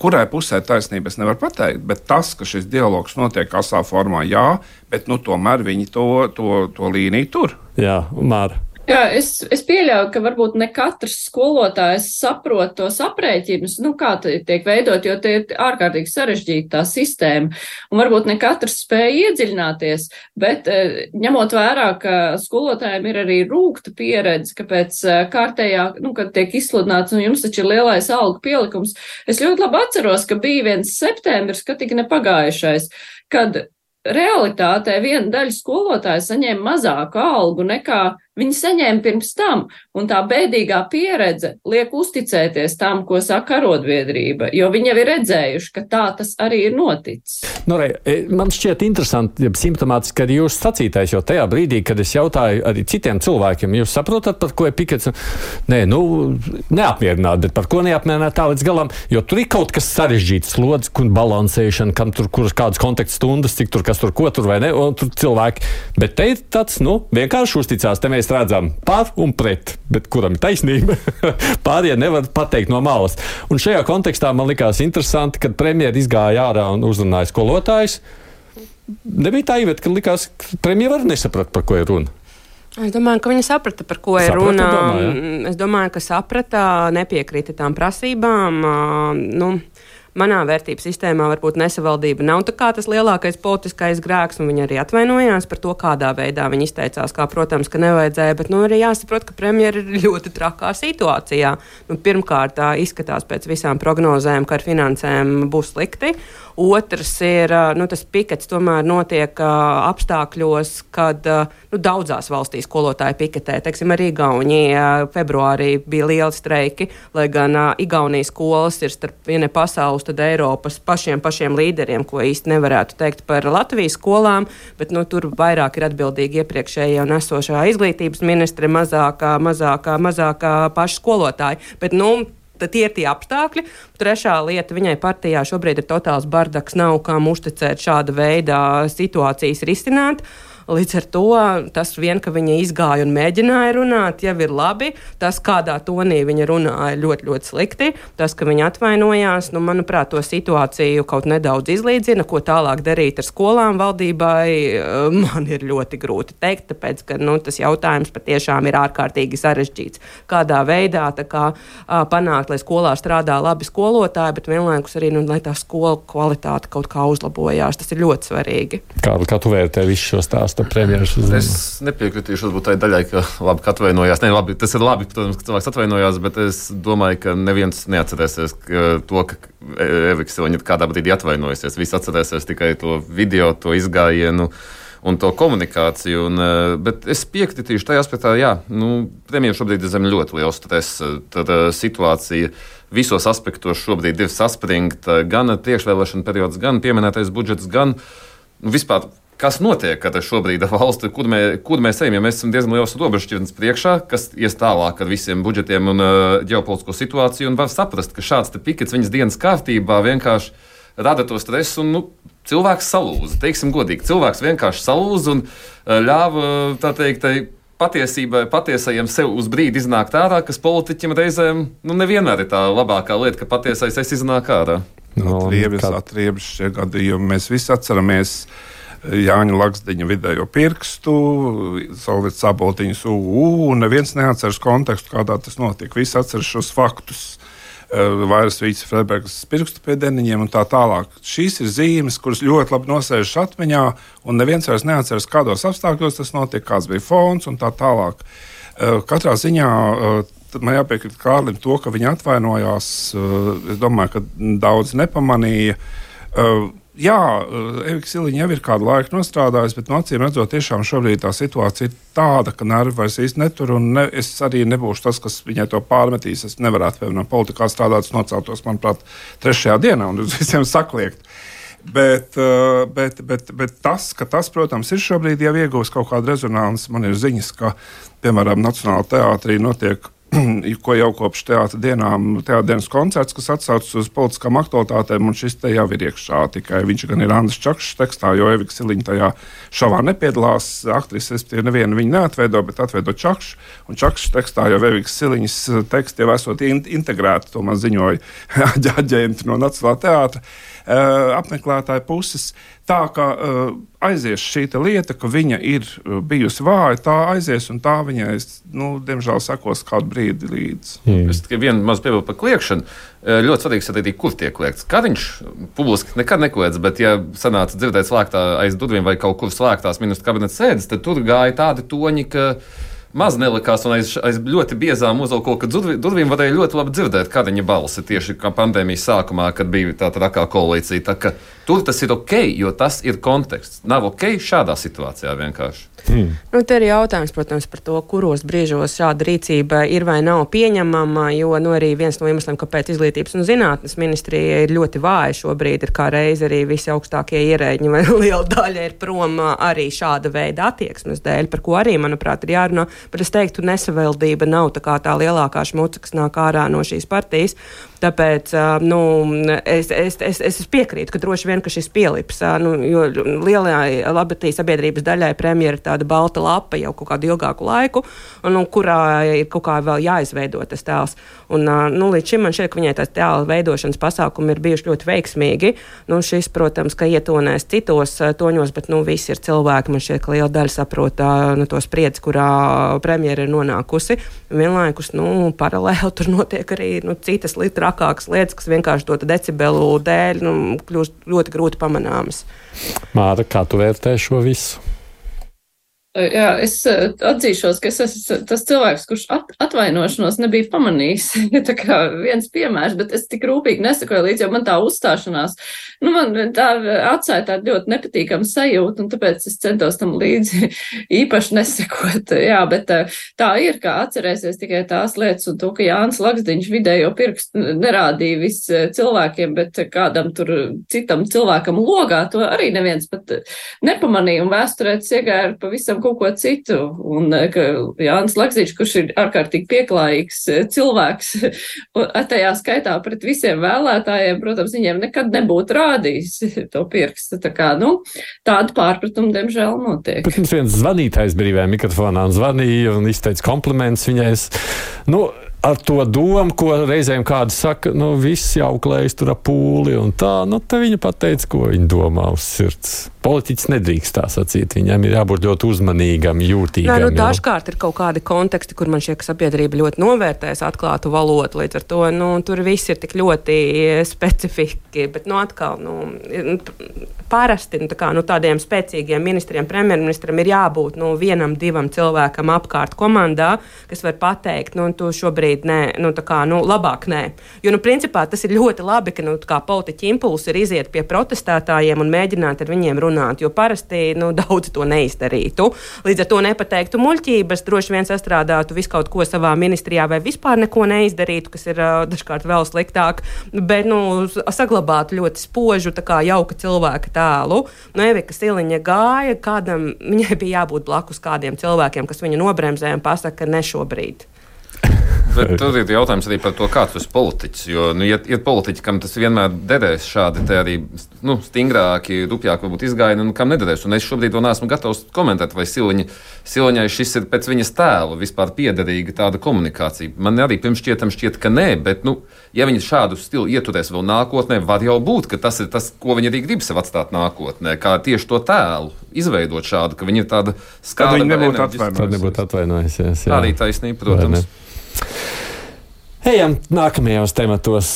kurai pusē taisnība es nevaru pateikt, bet tas, ka šis dialogs notiek asā formā, jā, bet tomēr viņi to līniju tur. Jā, Māra. Jā, es pieļauju, ka varbūt ne katrs skolotājs saprot tos aprēķinus, kā tiek veidot, jo tie ir ārkārtīgi sarežģīta tā sistēma. Un varbūt ne katrs spēja iedziļināties, bet ņemot vērā, ka skolotājiem ir arī rūgta pieredze, ka pēc kārtējā, kad tiek izsludināts, un jums taču ir lielais algu pielikums, es ļoti labi atceros, ka bija viens septembris, ka tik nepagājušais, kad realitātē viena daļa skolotāja saņēma mazāku algu nekā viņi saņēma pirms tam, un tā bēdīgā pieredze liek uzticēties tam, ko saka arotbiedrība, jo viņi jau ir redzējuši, ka tā tas arī ir noticis. Man šķiet interesanti, simptomātiski, ka jūs sacītais jau tajā brīdī, kad es jautāju arī citiem cilvēkiem, jūs saprotat, par ko ir pikets? Nē, neapmierināt, bet par ko neapmierināt tā līdz galam, jo tur ir kaut kas sarežģīts, slodzi, balansēšana, kam tur, kuras kādas kontaktstundas, cik tur, kas tur, ko tur vai ne, un tur cilvēki. Bet te ir tāds, vienkārši uzticās, te mēs redzam par un pret, bet kuram ir taisnība, pārējie nevar pateikt no malas. Un šajā kontekstā man likās interesanti, kad premjeri izgāja ārā un uzrunāja skolotājus. Nebija tā īvēt, ka likās, ka premjeri var nesaprat, par ko ir runa. Es domāju, ka viņa saprata, par ko ir runa. Es domāju, ka saprata, nepiekrita tām prasībām. Manā vērtību sistēmā varbūt nesavaldība nav tā kā tas lielākais politiskais grēks, un viņi arī atvainojās par to, kādā veidā viņi izteicās, kā, protams, ka nevajadzēja, bet arī jāsaprot, ka premjeri ir ļoti trakā situācijā. Pirmkārt, izskatās pēc visām prognozēm, ka ar finansēm būs slikti. Otrs ir, tas pikets tomēr notiek apstākļos, kad daudzās valstīs skolotāji piketē. Teiksim, arī Igaunijā februārī bija lieli streiki, lai gan Igaunijas skolas ir starp viena pasaules, tad Eiropas pašiem līderiem, ko īsti nevarētu teikt par Latvijas skolām, bet tur vairāk ir atbildīgi iepriekšējie un esošā izglītības ministre, mazākā paši skolotāji. Bet, tad tie ir tie apstākļi. Trešā lieta, viņai partijā šobrīd ir totāls bardaks, nav kam uzticēt šāda veida situācijas risināt. Līdz ar to tas vien, ka viņa izgāja un mēģināja runāt, jau ir labi. Tas, kādā tonī viņa runāja, ļoti, ļoti slikti. Tas, ka viņa atvainojās, manuprāt, to situāciju kaut nedaudz izlīdzina. Ko tālāk darīt ar skolām valdībai, man ir ļoti grūti teikt, tāpēc, ka tas jautājums patiešām ir ārkārtīgi sarežģīts. Kādā veidā panākt, lai skolā strādā labi skolotāji, bet vienlaikus arī, lai tā skolu kvalitāte kaut kā uzlabojās. Tas ir ļoti svarīgi. Kā tu vērtē visu šo stāstu? Es nepiekritīšu varbūt tai daļai, ka labi, ka atvainojās. Ne, labi, tas ir labi, protams, ka cilvēks atvainojās, bet es domāju, ka neviens neatcerēsies to, ka Evika Siliņa kādā brīdī atvainojusies. Visi atcerēsies tikai to video, to izgājienu un to komunikāciju. Bet es piekritīšu tajā aspektā, premjeram šobrīd ir zem ļoti liels stress. Tad situācija visos aspektos šobrīd ir saspringta, gan priekšvēlēšana periods, gan pieminētais budžets, gan vispār. Kas notiek šobrīd ar valsti, kur mēs ejam? Ja mēs esam diezgan liels robežšķirtnes priekšā, kas ies tālāk ar visiem budžetiem un ģeopolitisko situāciju, un var saprast, ka šāds pikets viņas dienas kārtībā vienkārši rada to stresu, un cilvēks salūza. Teiksim godīgi, cilvēks vienkārši salūza un ļāva, tā teikt, patiesajiem sev uz brīdi iznākt ārā, kas politiķim reizēm nevienmēr ir tā labākā lieta, ka patiesais iznāk ārā. Atriebas šie gadījumi. Mēs visi atceramies Jāņa Laksdiņa vidējo pirkstu, Solvits Saboltiņas un neviens neatceras kontekstu, kādā tas notiek. Visi atceras šos faktus. Vairas Vīces Freibergas pirkstu pie deniņiem un tā tālāk. Šīs ir zīmes, kuras ļoti labi nosēžas atmiņā, un neviens vairs neatceras, kādos apstākļos tas notiek, kāds bija fons un tā tālāk. Katrā ziņā man jāpiekrīt Kārlim to, ka viņa atvainojās. Es domāju, ka daudz nepamanīja. Evika Siliņa jau ir kādu laiku nostrādājusi, bet acīm redzot, tiešām šobrīd tā situācija ir tāda, ka nervi vairs īsti netur, un es arī nebūšu tas, kas viņai to pārmetīs. Es nevarētu, piemēram, politikā strādāt, noceltos, manuprāt, 3. dienā un uz visiem sakliekt. Bet tas, protams, ir šobrīd jau ieguvis kaut kādu rezonanci. Man ir ziņas, ka, piemēram, Nacionālajā teātrī notiek ko jau kopš teātra dienas koncerts, kas atsaucas uz politiskām aktualitātēm, un šis te jau ir iekšā. Tikai viņš gan ir Andris Čakšs tekstā, jo Evika Siliņa tajā šovā nepiedalās. Aktrise, nevienu viņu neatveido, bet atveido Čakšs. Un Čakšs tekstā jau Evika Siliņas teksti jau esot integrēti, to man ziņoja aģenti no Nacionālā teātra. apmeklētāju puses. Tā kā aizies šī lieta, ka viņa ir bijusi vāja, tā aizies un tā viņai, diemžēl, sekos kādu brīdi līdzi. Es tikai vienu mazu piebildu par kliekšanu. Ļoti svarīgi saprast, kur tiek kliegts. Kariņš publiski nekad nekliedz, bet, ja sanāca dzirdēt slēgtā aiz durvīm vai kaut kur slēgtās ministru kabineta sēdes, tad tur gāja tādi toņi, ka maz nelikās, un aiz ļoti biezām uzvalkoka durvīm varēja ļoti labi dzirdēt Kariņa balsi tieši kā pandēmijas sākumā, kad bija tā trakā koalīcija. Tā ka tur tas ir ok, jo tas ir konteksts. Nav ok šādā situācijā vienkārši. Te ir jautājums, protams, par to, kuros brīžos šāda rīcība ir vai nav pieņemama, jo arī viens no iemesliem, kāpēc Izglītības un zinātnes ministrija ir ļoti vāja šobrīd, ir kā reiz arī visi augstākie ierēģi vai liela daļa ir prom arī šāda veida attieksmes dēļ, par ko arī, manuprāt, ir jārunā, bet es teiktu, nesavēldība nav tā lielākā šmuca, kas nāk ārā no šīs partijas. Tāpēc es piekrītu, ka droši vien, ka šis pielips, jo lielajai labatī sabiedrības daļai premjera ir tāda balta lapa jau kaut kādu ilgāku laiku, un kurā ir kaut kā vēl jāizveido tas tēls. Un, līdz šim man šķiet, ka viņai tās tēla veidošanas pasākumi ir bijuši ļoti veiksmīgi. Šis, protams, ka ietonēs citos toņos, bet visi ir cilvēki. Man šķiet, ka liela daļa saprot to spriedzi, kurā premjera ir nonākusi. Vienlaikus, paralēli tur notiek arī citas trakākas lietas, kas vienkārši to decibelu dēļ kļūst ļoti grūti pamanāmas. Māra, kā tu vērtē šo visu? Jā, es atzīšos, ka es esmu tas cilvēks, kurš atvainošanos nebija pamanījis. Tā kā viens piemērs, bet es tik rūpīgi nesakoju līdz, jo man tā uzstāšanās, man tā atstāja tādu ļoti nepatīkamu sajūtu, un tāpēc es centos tam līdzi īpaši nesakot. Jā, bet tā ir, kā atcerēsies tikai tās lietas, un to, ka Jānis Laksdiņš vidējo pirkstu nerādīja viss cilvēkiem, bet kādam tur citam cilvēkam logā, to arī neviens pat nepamanīja, un vēsturētas iegāja pavisam kaut ko citu, un ka Jānis Laksdiņš, kurš ir ārkārtīgi pieklājīgs cilvēks, tajā skaitā pret visiem vēlētājiem, protams, viņiem nekad nebūtu rādījis to pirkstu. Tā kā, tāda pārpratuma, diemžēl, notiek. Bet mums viens zvanītājs brīvajā mikrofonā zvanīja un izteica komplimentus viņai. Ar to domu, ko reizēm kāds saka, viss jau klējas tur ap pūli un tā, te viņa pateica, ko viņa domā uz sirds. Politiķis nedrīkst tā sacīt, viņam ir jābūt ļoti uzmanīgam, jūtīgam. Dažkārt ir kaut kādi konteksti, kur man šķiet, ka sabiedrība ļoti novērtēs atklātu valodu, līdz ar to, tur viss ir tik ļoti specifiski, bet, atkal, parasti, tādiem spēcīgiem ministriem, premjerministram ir jābūt, vienam, divam cilvēkam apkārt komandā, kas var pateikt, tu šobrīd labāk nē. Jo, principā tas ir ļoti labi, ka, politiķi impulsi ir iziet pie protestētājiem un mēģināt ar viņiem runāt, jo parasti, daudz to neizdarītu. Līdz ar to nepateiktu muļķības, droši vien sastrādātu visu kaut ko savā ministrijā vai vispār neko neizdarītu, kas ir dažkārt vēl sliktāk, bet, saglabātu ļoti spožu, jauka cilvēka tēlu. Evika Siliņa gāja, viņai bija jābūt blakus kādiem cilvēkiem, kas viņu nobremzē un pasaka, ka ne šobrīd. Bet tur ir jautājums arī par to, kāds ir politiķis. Jo, ir politiķi, kam tas vienmēr derēs šādi arī stingrāki, rupjāki varbūt izgājieni, un kam nederēs. Un es šobrīd to neesmu gatavs komentēt, vai Siliņai šis ir pēc viņas tēla vispār piederīga tāda komunikācija. Man arī pirms šķiet, ka nē, bet, ja viņi šādu stilu ieturēs vēl nākotnē, var jau būt, ka tas ir tas, ko viņi arī grib sev atstāt nākotnē, kā tieši to tēlu izveidot šādu, ka viņi ir tāda skāda. Tad nebūtu atvainojusies. Arī taisnība, protams. Ejam nākamajos tematos.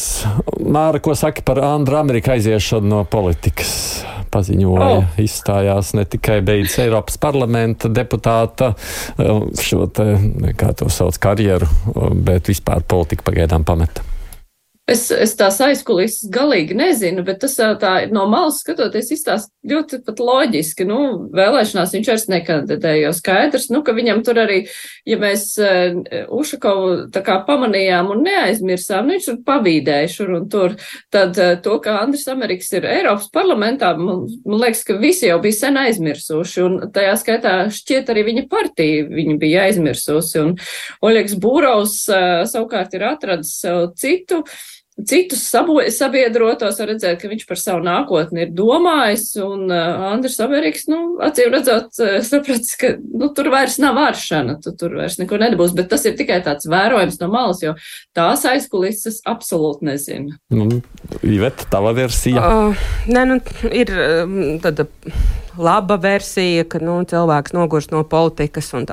Māra, ko saka par Andru Ameriku aiziešanu no politikas? Paziņoja, izstājās, ne tikai beidz Eiropas parlamenta deputāta šo kā to sauc, karjeru, bet vispār politiku pagaidām pameta. Es tās aizkulisses galīgi nezinu, bet tas tā no malas skatoties izstāst ļoti pat loģiski. Vēlēšanās viņš vairs nekandidēja, jo skaidrs, ka viņam tur arī, ja mēs Ušakovu tā kā pamanījām un neaizmirsām, viņš tur pavīdēja šur un tur, tad to, ka Andris Amerikas ir Eiropas parlamentā, man liekas, ka visi jau bija sen aizmirsuši, un tajā skaitā šķiet arī viņa partija viņa bija aizmirsusi, un Oļegs Būrovs savukārt ir atradis sev citu citus sabiedrotos, var redzēt, ka viņš par savu nākotni ir domājis, un Andris Amerikas, acīm redzot, sapratis, ka, tur vairs nav vāršana, tur vairs neko nedabūs, bet tas ir tikai tāds vērojums no malas, jo tās aizkulises absolūti nezinu. Iveta, tava versija? Ir tāda laba versija, ka cilvēks nogurst no politikas un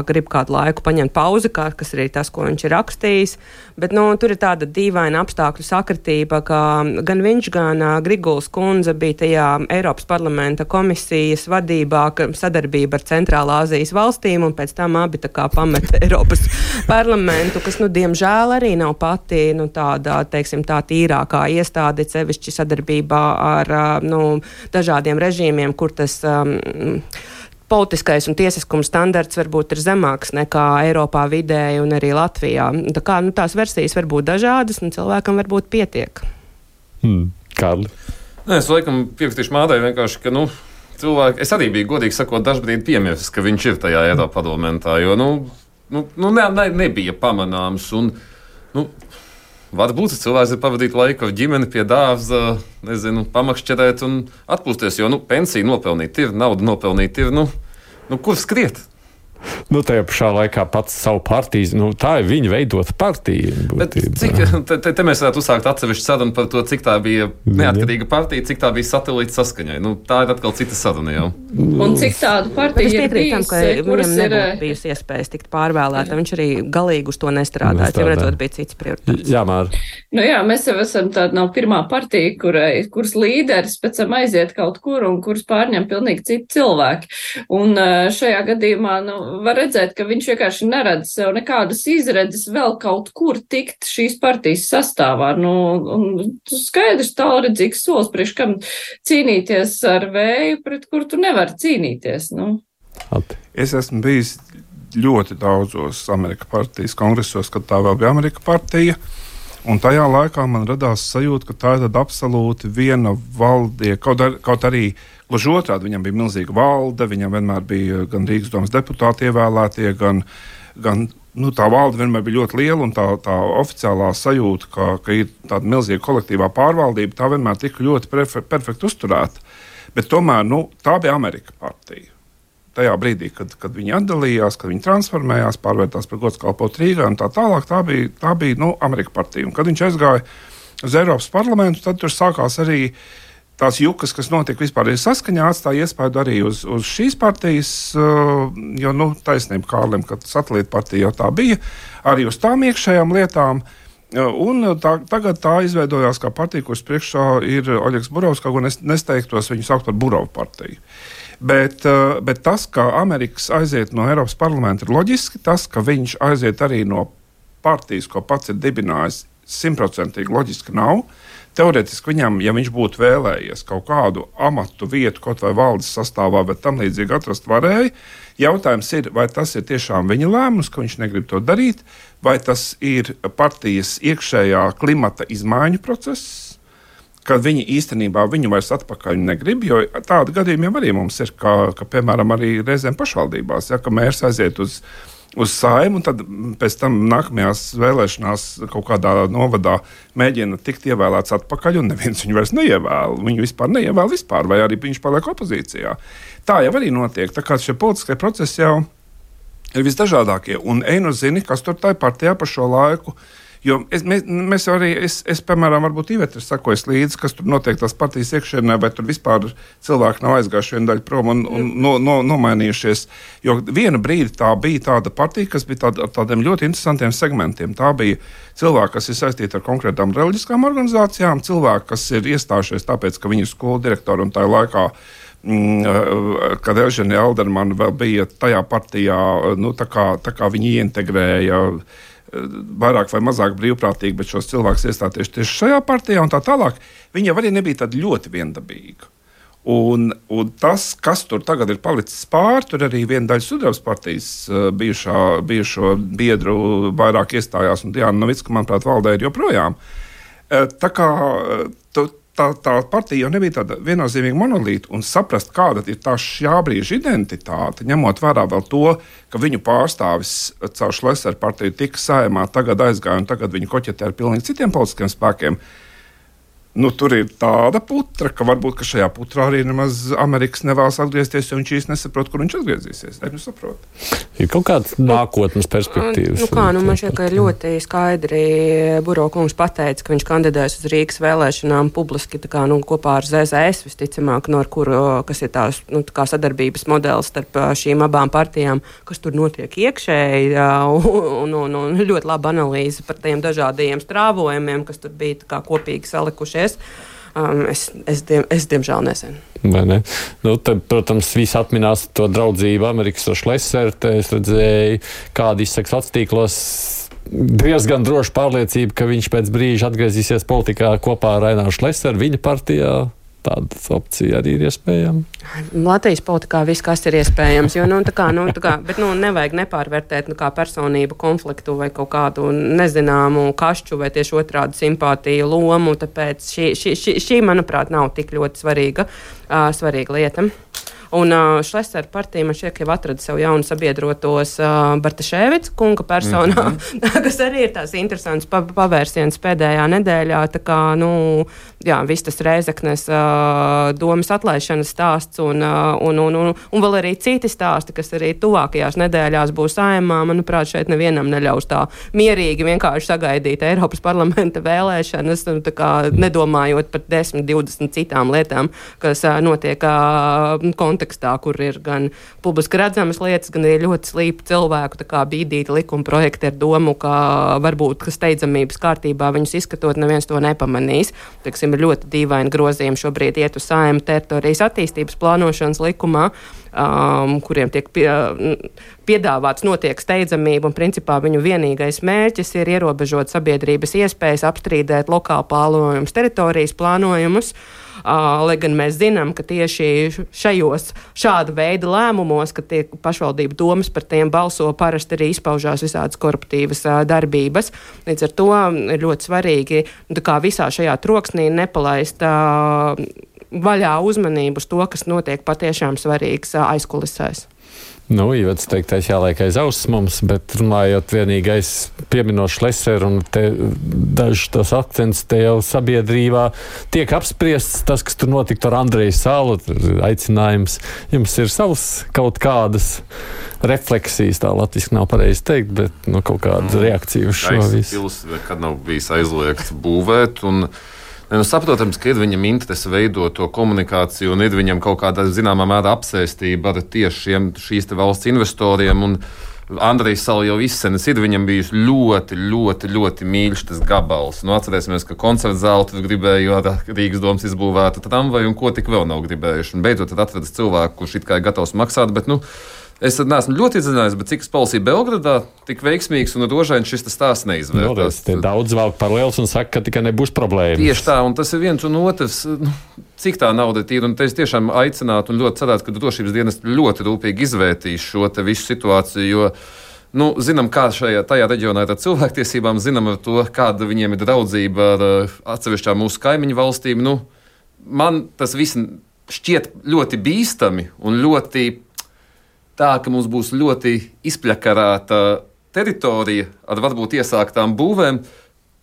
grib kādu laiku paņemt pauzi, kas arī tas, ko viņš ir rakstījis. Bet tur ir tāda dīvaina apstākļu sakritība, ka gan viņš, gan Griguls kundze bija tajā Eiropas parlamenta komisijas vadībā, sadarbība ar Centrālā Azijas valstīm, un pēc tam abi pameta Eiropas parlamentu, kas, diemžēl arī nav pati tāda, teiksim, tā tīrākā iestāde, sevišķi sadarbībā ar dažādiem režīmiem, kur tas politiskais un tiesiskums standarts varbūt ir zemāks nekā Eiropā vidēji un arī Latvijā. Tā kā tās versijas var būt dažādas un cilvēkam varbūt pietiek. Kārli? Es laikam piekritīšu Mādai vienkārši, ka cilvēki, es arī biju godīgi sakot dažbrīd piemirsis, ka viņš ir tajā Eiropa parlamentā, jo nebija pamanāms un varbūt cilvēks ir pavadīt laiku ar ģimeni pie dārza, pamakšķerēt un atpūsties, jo pensiju nopelnīt ir, naudu nopelnīt ir, kur skriet? Tajā pašā laikā pats savu partiju, tā ir viņa veidota partija. Bet cik, te mēs varētu uzsākt atsevišķu sarunu par to, cik tā bija neatkarīga partija, cik tā bija satelīta saskaņai. Tā ir atkal cita saruna jau. Un cik tādu partiju ir bijusi, ka viņam nebūtu bijusi iespējas tikt pārvēlēta. Viņš arī galīgi uz to nestrādāja. Jau redzot, bija cits prioritāts. Jā, Māra. Jā, mēs jau esam tāda nav pirmā partija, kuras līderis pēc tam aiziet kaut kur un kuras pārņem pilnīgi citi cilvēki. Un šajā gadījumā, var redzēt, ka viņš vienkārši neredz sev nekādas izredzes vēl kaut kur tikt šīs partijas sastāvā. Un skaidrs tālredzīgs solis, priekš kam cīnīties ar vēju, pret kur tu nevari cīnīties. Es esmu bijis ļoti daudzos Amerikas partijas kongresos, kad tā vēl bija Amerikas partija. Un tajā laikā man radās sajūta, ka tā ir tāda absolūti viena valdie, kaut arī gluži otrādi, viņam bija milzīga valde, viņam vienmēr bija gan Rīgas domas deputāti ievēlētie, gan tā valde vienmēr bija ļoti liela, un tā oficiālā sajūta, ka ir tāda milzīga kolektīvā pārvaldība, tā vienmēr tika ļoti perfekti uzturēta. Bet tomēr, tā bija Amerikas partija. Tajā brīdī, kad viņi atdalījās, kad viņi transformējās, pārvērtās par godskalpotu Rīgā un tā tālāk, tā bija Amerikas partija. Un kad viņš aizgāja uz Eiropas parlamentu, tad tur sākās arī tās jukas, kas notika vispār saskaņā, atstāja iespēju arī uz šīs partijas, jo, taisnība Kārlim, ka satelīta partija jau tā bija, arī uz tām iekšējām lietām. Un tagad tā izveidojās kā partija, kuras priekšā ir Oļegs Burovs, kaut ko nesteigtos viņu saukt par Burovu partiju. Bet tas, ka Amerikas aiziet no Eiropas parlamenta, ir loģiski. Tas, ka viņš aiziet arī no partijas, ko pats ir dibinājis, 100% loģiski nav. Teorētiski viņam, ja viņš būtu vēlējies kaut kādu amatu vietu, kaut vai valdes sastāvā, bet tam līdzīgi atrast varēja, jautājums ir, vai tas ir tiešām viņa lēmums, ka viņš negrib to darīt, vai tas ir partijas iekšējā klimata izmaiņu process, kad viņi īstenībā viņu vairs atpakaļ negrib, jo tāda gadījuma jau arī mums ir, ka piemēram, arī reizēm pašvaldībās, ka mērs aiziet uz Saimu, un tad pēc tam nākamajās vēlēšanās kaut kādā novadā mēģina tikt ievēlēts atpakaļ, un neviens viņu vairs neievēl. Viņu vispār neievēl vispār, vai arī viņš paliek opozīcijā. Tā jau arī notiek, tā kā šie politiskie procesi jau ir visdažādākie, un zini, kas tur tai partijā par šo laiku. Jo mēs arī, es piemēram, varbūt Iveta sakojas līdzi, kas tur notiek tās partijas iekšienē, vai tur vispār cilvēki nav aizgājuši vienu daļu prom un nomainījušies. Jo vienu brīdi tā bija tāda partija, kas bija tādiem ļoti interesantiem segmentiem. Tā bija cilvēki, kas ir saistīti ar konkrētām reliģiskām organizācijām, cilvēki, kas ir iestājušies tāpēc, ka viņu skolu direktori un tajā laikā, kad Elžēna Aldermana vēl bija tajā partijā, tā kā viņi ieintegrēja vairāk vai mazāk brīvprātīgi, bet šos cilvēkus iestāties tieši šajā partijā un tā tālāk, viņi jau arī nebija tādi ļoti viendabīgi. Un tas, kas tur tagad ir palicis pāri, tur arī viena daļa Sudrabas partijas bijušo biedru vairāk iestājās, un Diana Novicka, manuprāt, valdē ir joprojām. Tā kā tā partija jau nebija tāda viennozīmīga monolīta, un saprast, kāda ir tā šā brīža identitāte, ņemot vērā vēl to, ka viņu pārstāvis caur Šlesera partiju tika Saeimā, tagad aizgāja, un tagad viņi koķetē ar pilnīgi citiem politiskiem spēkiem. Nu, tur ir tāda putra, ka varbūt šajā putrā arī nemaz Amerikas nevēlas atgriezties, jo viņš īsti nesaprot, kur viņš atgriezīsies. Ir kaut kāds nākotnes perspektīvas. Man šķiet, ka ir ļoti skaidri Buro kungs pateica, ka viņš kandidēs uz Rīgas vēlēšanām publiski kopā ar ZZS, visticamāk, kas ir tās sadarbības modelis starp šīm abām partijām, kas tur notiek iekšēji, un ļoti laba analīze par tiem dažādajiem strāvojumiem, kas tur bija kopīgi salikušies. Es diemžēl nezinu. Ne? Tad, protams, visi atminās to draudzību Amerikas ar Šleseru. Es redzēju, kāda izsaka sociālos tīklos. Diezgan droša pārliecība, ka viņš pēc brīža atgriezīsies politikā kopā ar Aināru Šleseru viņa partijā. Tāda opcija arī ir iespējama. Latvijas politikā viss, kas ir iespējams, jo, bet nevajag nepārvērtēt kā personību konfliktu vai kaut kādu nezināmu kašķu vai tieši otrādu simpātiju lomu, tāpēc šī, manuprāt, nav tik ļoti svarīga lieta. Un Šlesera partija man šķiet, ka jau atrada sev jaunu sabiedrotos Bartaševica kunga personā, kas arī ir tās interesants pavērsiens pēdējā nedēļā. Tā kā, viss tas Rēzeknes domas atlaišanas stāsts un vēl arī citi stāsti, kas arī tuvākajās nedēļās būs Saeimā. Manuprāt, šeit nevienam neļaus tā mierīgi vienkārši sagaidīt Eiropas parlamenta vēlēšanas, nedomājot par 10, 20 citām lietām, kas notiek kontekstā, kur ir gan publiski redzamas lietas, gan arī ļoti slīpi cilvēku bīdīti likuma projekti ar domu, ka varbūt steidzamības kārtībā viņus izskatot, neviens to nepamanīs. Ir ļoti dīvaini grozījumi šobrīd iet uz Saeimu teritorijas attīstības plānošanas likumā, kuriem tiek piedāvāts notiek steidzamība, un principā viņu vienīgais mērķis ir ierobežot sabiedrības iespējas apstrīdēt lokāli plānojumus, teritorijas plānojumus. Lai gan mēs zinām, ka tieši šāda veida lēmumos, ka tiek pašvaldību domas par tiem balso, parasti arī izpaužās visādas koruptīvas darbības. Līdz ar to ir ļoti svarīgi visā šajā troksnī nepalaist vaļā uzmanību uz to, kas notiek patiešām svarīgs aizkulisēs. Ivets teiktais jāliek aiz auss mums, bet runājot vienīgais pieminot Šleseru un te dažs tos akcents te jau sabiedrībā tiek apspriests tas, kas tur notika ar Andreju Salu, aicinājums. Jums ir savs kaut kādas refleksijas, tā latviski nav pareizi teikt, bet kaut kāda reakcija uz šo visu. Kad nav bijis aizliegts būvēt un saprotams, ka ir viņam interese veidot to komunikāciju un ir viņam kaut kāda zināmā mērā apsēstība ar tieši šīs valsts investoriem. Un Andrejs Sala jau izsenis ir viņam bijis ļoti, ļoti, ļoti mīļš tas gabals. Atcerēsimies, ka koncerta zāli tur gribēja ar Rīgas domas izbūvēta tramvaju un ko tik vēl nav gribējuši. Un beidzot tad atradis cilvēku, kurš it kā ir gatavs maksāt, bet es neesmu ļoti izdziļinājies, bet cik policija Belgradā tik veiksmīgs un rožains šis stāsts neizvērtās. Daudz vēl paralēls un saka, ka tikai nebūs problēmas. Tieši tā, un tas ir viens un otrs. Cik tā nauda ir, un es tiešām aicinātu un ļoti cerētu, ka drošības dienas ļoti rūpīgi izvērtīs šo te visu situāciju, jo zinām, kā tajā reģionā ir ar cilvēktiesībām, zinām ar to, kāda viņiem ir draudzība ar atsevišķām mūsu kaimiņu valstīm. Man tas viss šķiet ļoti bīstami un ļoti tā, ka mums būs ļoti izpļakarāta teritorija ar varbūt iesāktām būvēm,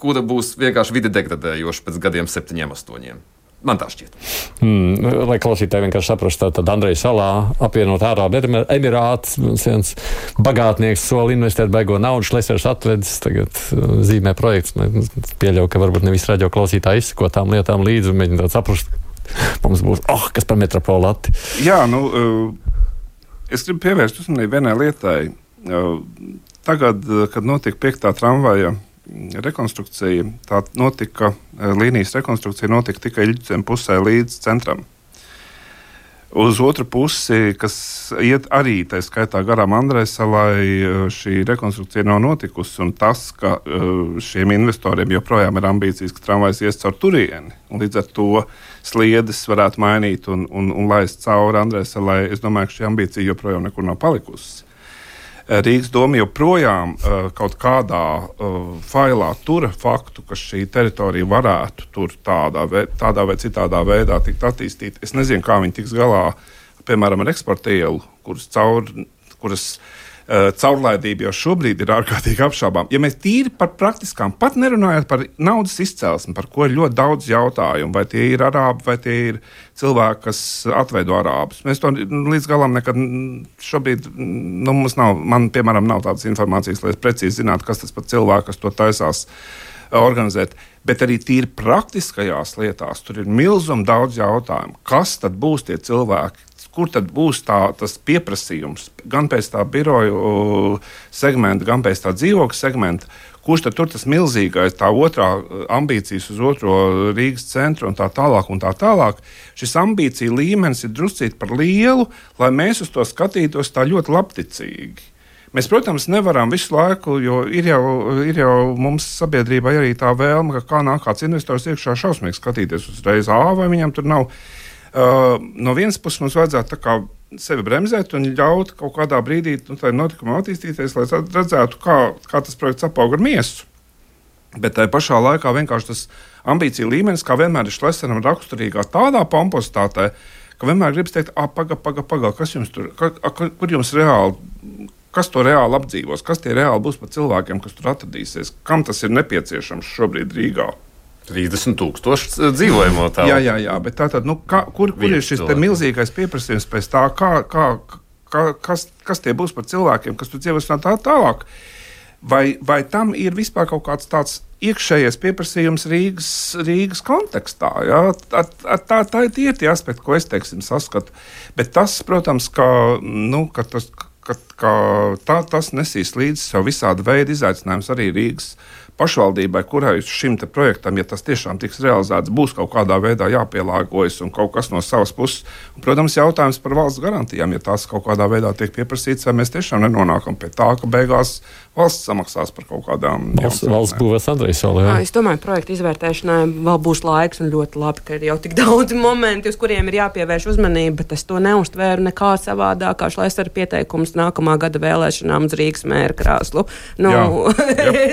kura būs vienkārši vide degradējoša pēc gadiem 7, 8. Man tā šķiet. Lai klausītāji vienkārši saprastu, tad Andreja Salā apvienot Ārābu Emirātus, viens bagātnieks soli investēt baigo naudu, Šlesers atvedis, tagad zīmē projekts. Pieļauju, ka varbūt nevis radio klausītāji izsako tām lietām līdzi un mēģināt saprast, mums būs, kas par metropolati. Jā, es gribu pievērst uzmanību vienai lietai. Tagad, kad notika 5. tramvaja rekonstrukcija, tā notika, līnijas rekonstrukcija notika tikai Ļudzem pusē līdz centram. Uz otru pusi, kas iet arī tā skaitā garām Andrejsalai, šī rekonstrukcija nav notikusi, un tas, ka šiem investoriem joprojām ir ambīcijas, ka tramvajs ies caur turieni, un līdz ar to sliedes varētu mainīt un laist cauri Andrejsalai, es domāju, ka šī ambīcija joprojām nekur nav palikusi. Rīgas doma joprojām kaut kādā failā tura faktu, ka šī teritorija varētu tur tādā vai citādā veidā tikt attīstīta. Es nezinu, kā viņi tiks galā, piemēram, ar eksporta ielu, kuras caurlaidība jau šobrīd ir ārkārtīgi apšaubām. Ja mēs tīri par praktiskām, pat nerunājot par naudas izcelsmi, par ko ir ļoti daudz jautājumu, vai tie ir arābi, vai tie ir cilvēki, kas atveido arābus. Mēs to līdz galam nekad šobrīd, mums nav, man, piemēram, nav tādas informācijas, lai es precīzi zinātu, kas tas par cilvēku, kas to taisās organizēt. Bet arī tīri praktiskajās lietās tur ir milzum daudz jautājumu. Kas tad būs tie cilvēki? Kur tad būs tas pieprasījums gan pēc tā biroju segmenta, gan pēc tā dzīvokļa segmenta? Kurš tad tur tas milzīgais, tā otrā ambīcijas uz otro Rīgas centru un tā tālāk un tā tālāk? Šis ambīcija līmenis ir druscīt par lielu, lai mēs uz to skatītos tā ļoti labticīgi. Mēs, protams, nevaram visu laiku, jo ir jau mums sabiedrībai arī tā vēlme, ka kā nāk kāds investors iekšā šausmīgi skatīties uzreiz, vai viņam tur nav. No vienas puses mums vajadzētu tā kā sevi bremzēt un ļaut kaut kādā brīdī tādiem notikumiem attīstīties, lai redzētu, kā tas projekts apaug ar miesu. Bet tajā pašā laikā vienkārši tas ambīcija līmenis, kā vienmēr ir Šleseram raksturīgā tādā pompositātē, ka vienmēr gribas teikt, paga, kas jums tur, kur jums reāli, kas to reāli apdzīvos, kas tie reāli būs par cilvēkiem, kas tur atradīsies, kam tas ir nepieciešams šobrid Rīgā. 30,000 dzīvojamo telpu. Jā, bet tātad, kur ir šis milzīgais pieprasījums pēc tā, kas tie būs par cilvēkiem, kas tur dzīvos tā tālāk? Vai tam ir vispār kaut kāds tāds iekšējais pieprasījums Rīgas kontekstā? Ja? Tā ir tie aspekti, ko es, saskatu. Bet tas, protams, tas nesīs līdzi sev visādi veidi izaicinājums arī Rīgas pašvaldībai, kurai šim te projektam, ja tas tiešām tiks realizēts, būs kaut kādā veidā jāpielāgojas un kaut kas no savas puses. Un, protams, jautājums par valsts garantijām, ja tās kaut kādā veidā tiek pieprasīts, vai mēs tiešām nenonākam pie tā, ka beigās valsts samaksās par kaut kādām valsts būvēs Andrejs vēl. Es domāju, projekta izvērtēšanai vēl būs laiks un ļoti labi, ka ir jau tik daudz momenti, uz kuriem ir jāpievērš uzmanība, bet es to neuztvēru nekā savādāk, kā Šlesera pieteikums nākamā gada vēlēšanām uz Rīgas mēra krēslu.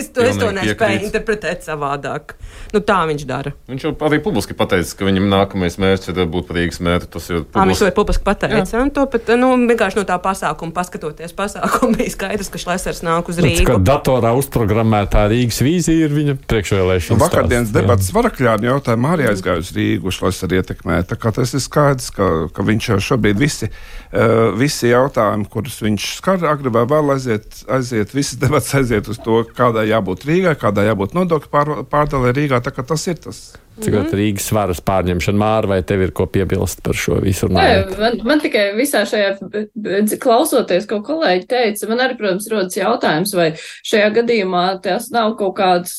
Es to nespēju interpretēt savādāk. Tā viņš dara. Viņš jau arī publiski pateica, ka viņam nākamais mērķis ir būt par Rīgas mēru. Viņš to ir publiski pateicis. To pat, vienkārši no tā pasākuma, paskatoties pasākumu, bija skaidrs, ka Šlesers nāk uz Rīgu. Kad datorā uzprogrammētā Rīgas vīzija ir viņa priekšvēlēšanas. Vakardienas debatas Varakļāni jautājumu arī aizgāja uz Rīgu, Šlesera ietekmē. Tā kā tas ir skaidrs, ka viņš jau šobrīd visi jautājumi, kurus viņš skar, agri vai vēl aiziet, visas debatas aiziet uz to, kādai jābūt Rīgai, kādai jābūt nodokļu pārdalē Rīgā. Tā kā tas ir tas. Cikot Rīgas varas pārņemšana, Māra, vai tev ir ko piebilst par šo visu? Man tikai visā šajā, klausoties, ko kolēģi teica, man arī, protams, rodas jautājums, vai šajā gadījumā tas nav kaut kāds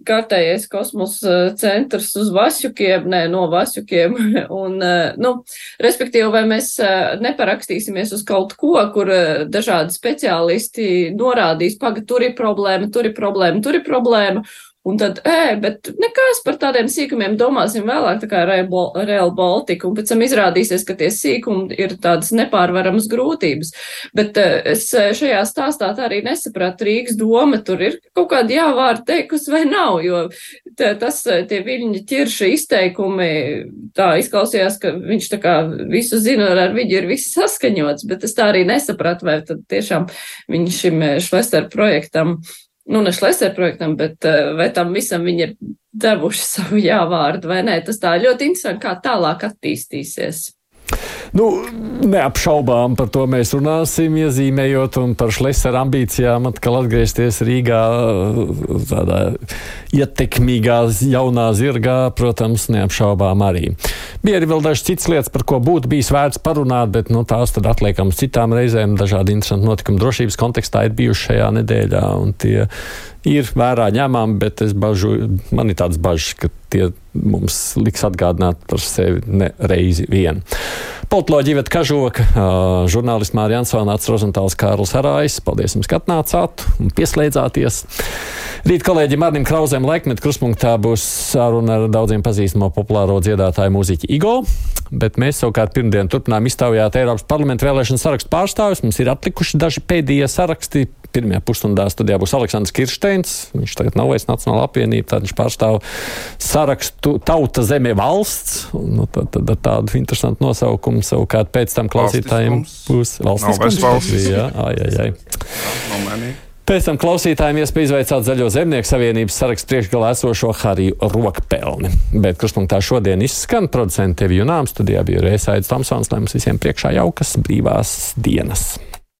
kārtējais kosmosa centrs uz Vasjukiem, no Vasjukiem, un, respektīvi, vai mēs neparakstīsimies uz kaut ko, kur dažādi speciālisti norādīs, tur ir problēma, un tad, bet nekas par tādiem sīkumiem domāsim vēlāk, tā kā Rail Baltica, un pēc tam izrādīsies, ka tie sīkumi ir tādas nepārvaramas grūtības. Bet es šajā stāstā tā arī nesapratu, Rīgas doma tur ir kaut kādi jāvārdi teikusi vai nav, jo tie Viļņa Ķirša izteikumi tā izklausījās, ka viņš tā kā visu zina, ar viņu ir viss saskaņots, bet es tā arī nesapratu, vai tad tiešām viņš šim Šlesera projektam, ne Šlesera projektam, bet vai tam visam viņi ir devuši savu jāvārdu vai nē. Tas tā ļoti interesanti, kā tālāk attīstīsies. Neapšaubām par to mēs runāsim, iezīmējot un par Šlesera ambīcijām atkal atgriezties Rīgā tādā ietekmīgā jaunā zirgā, protams, neapšaubām arī. Bija arī vēl dažas citas lietas, par ko būtu bijis vērts parunāt, bet tās tad atliekam uz citām reizēm. Dažādi interesanti notikumi drošības kontekstā ir bijuši šajā nedēļā, un tie ir vērā ņemami, bet man ir tāds bažas, ka tie mums liks atgādināt par sevi ne reizi vien. Politoloģija Iveta Kažoka, žurnālists Māra Jansona, Rozentāls Kārlis Arājs. Paldies jums, ka atnācāt un pieslēdzāties. Rīt kolēģim Arnim Krauzēm Laikmetu kruspunktā būs saruna ar daudziem pazīstamo populāro dziedātāju mūziķi Igo. bet mēs savukārt pirmdien turpinām iztaujāt Eiropas parlamenta vēlēšanu sarakstu pārstāvjus. Mums ir atlikuši daži pēdējie saraksti. Pirmajā pusstundā studijā būs Aleksandrs Kirsteins. Viņš tagad nav vairs Nacionāla apvienība, tad viņš pārstāv sarakstu Tauta, zeme, valsts. Nu, tad tādu interesantu nosaukumu savukārt pēc tam klausītājiem būs valstiskums. Jā. Pēc tam klausītājiem iespēja izveicāt Zaļo zemnieku savienības sarakstu priekšgalā esošo Hariju Rokpelni. Bet kruspunktā šodien izskan producenti Tevi Junām. Studijā bija Aidis Tomsons, lai mums visiem priekšā jaukas brīvās dienas.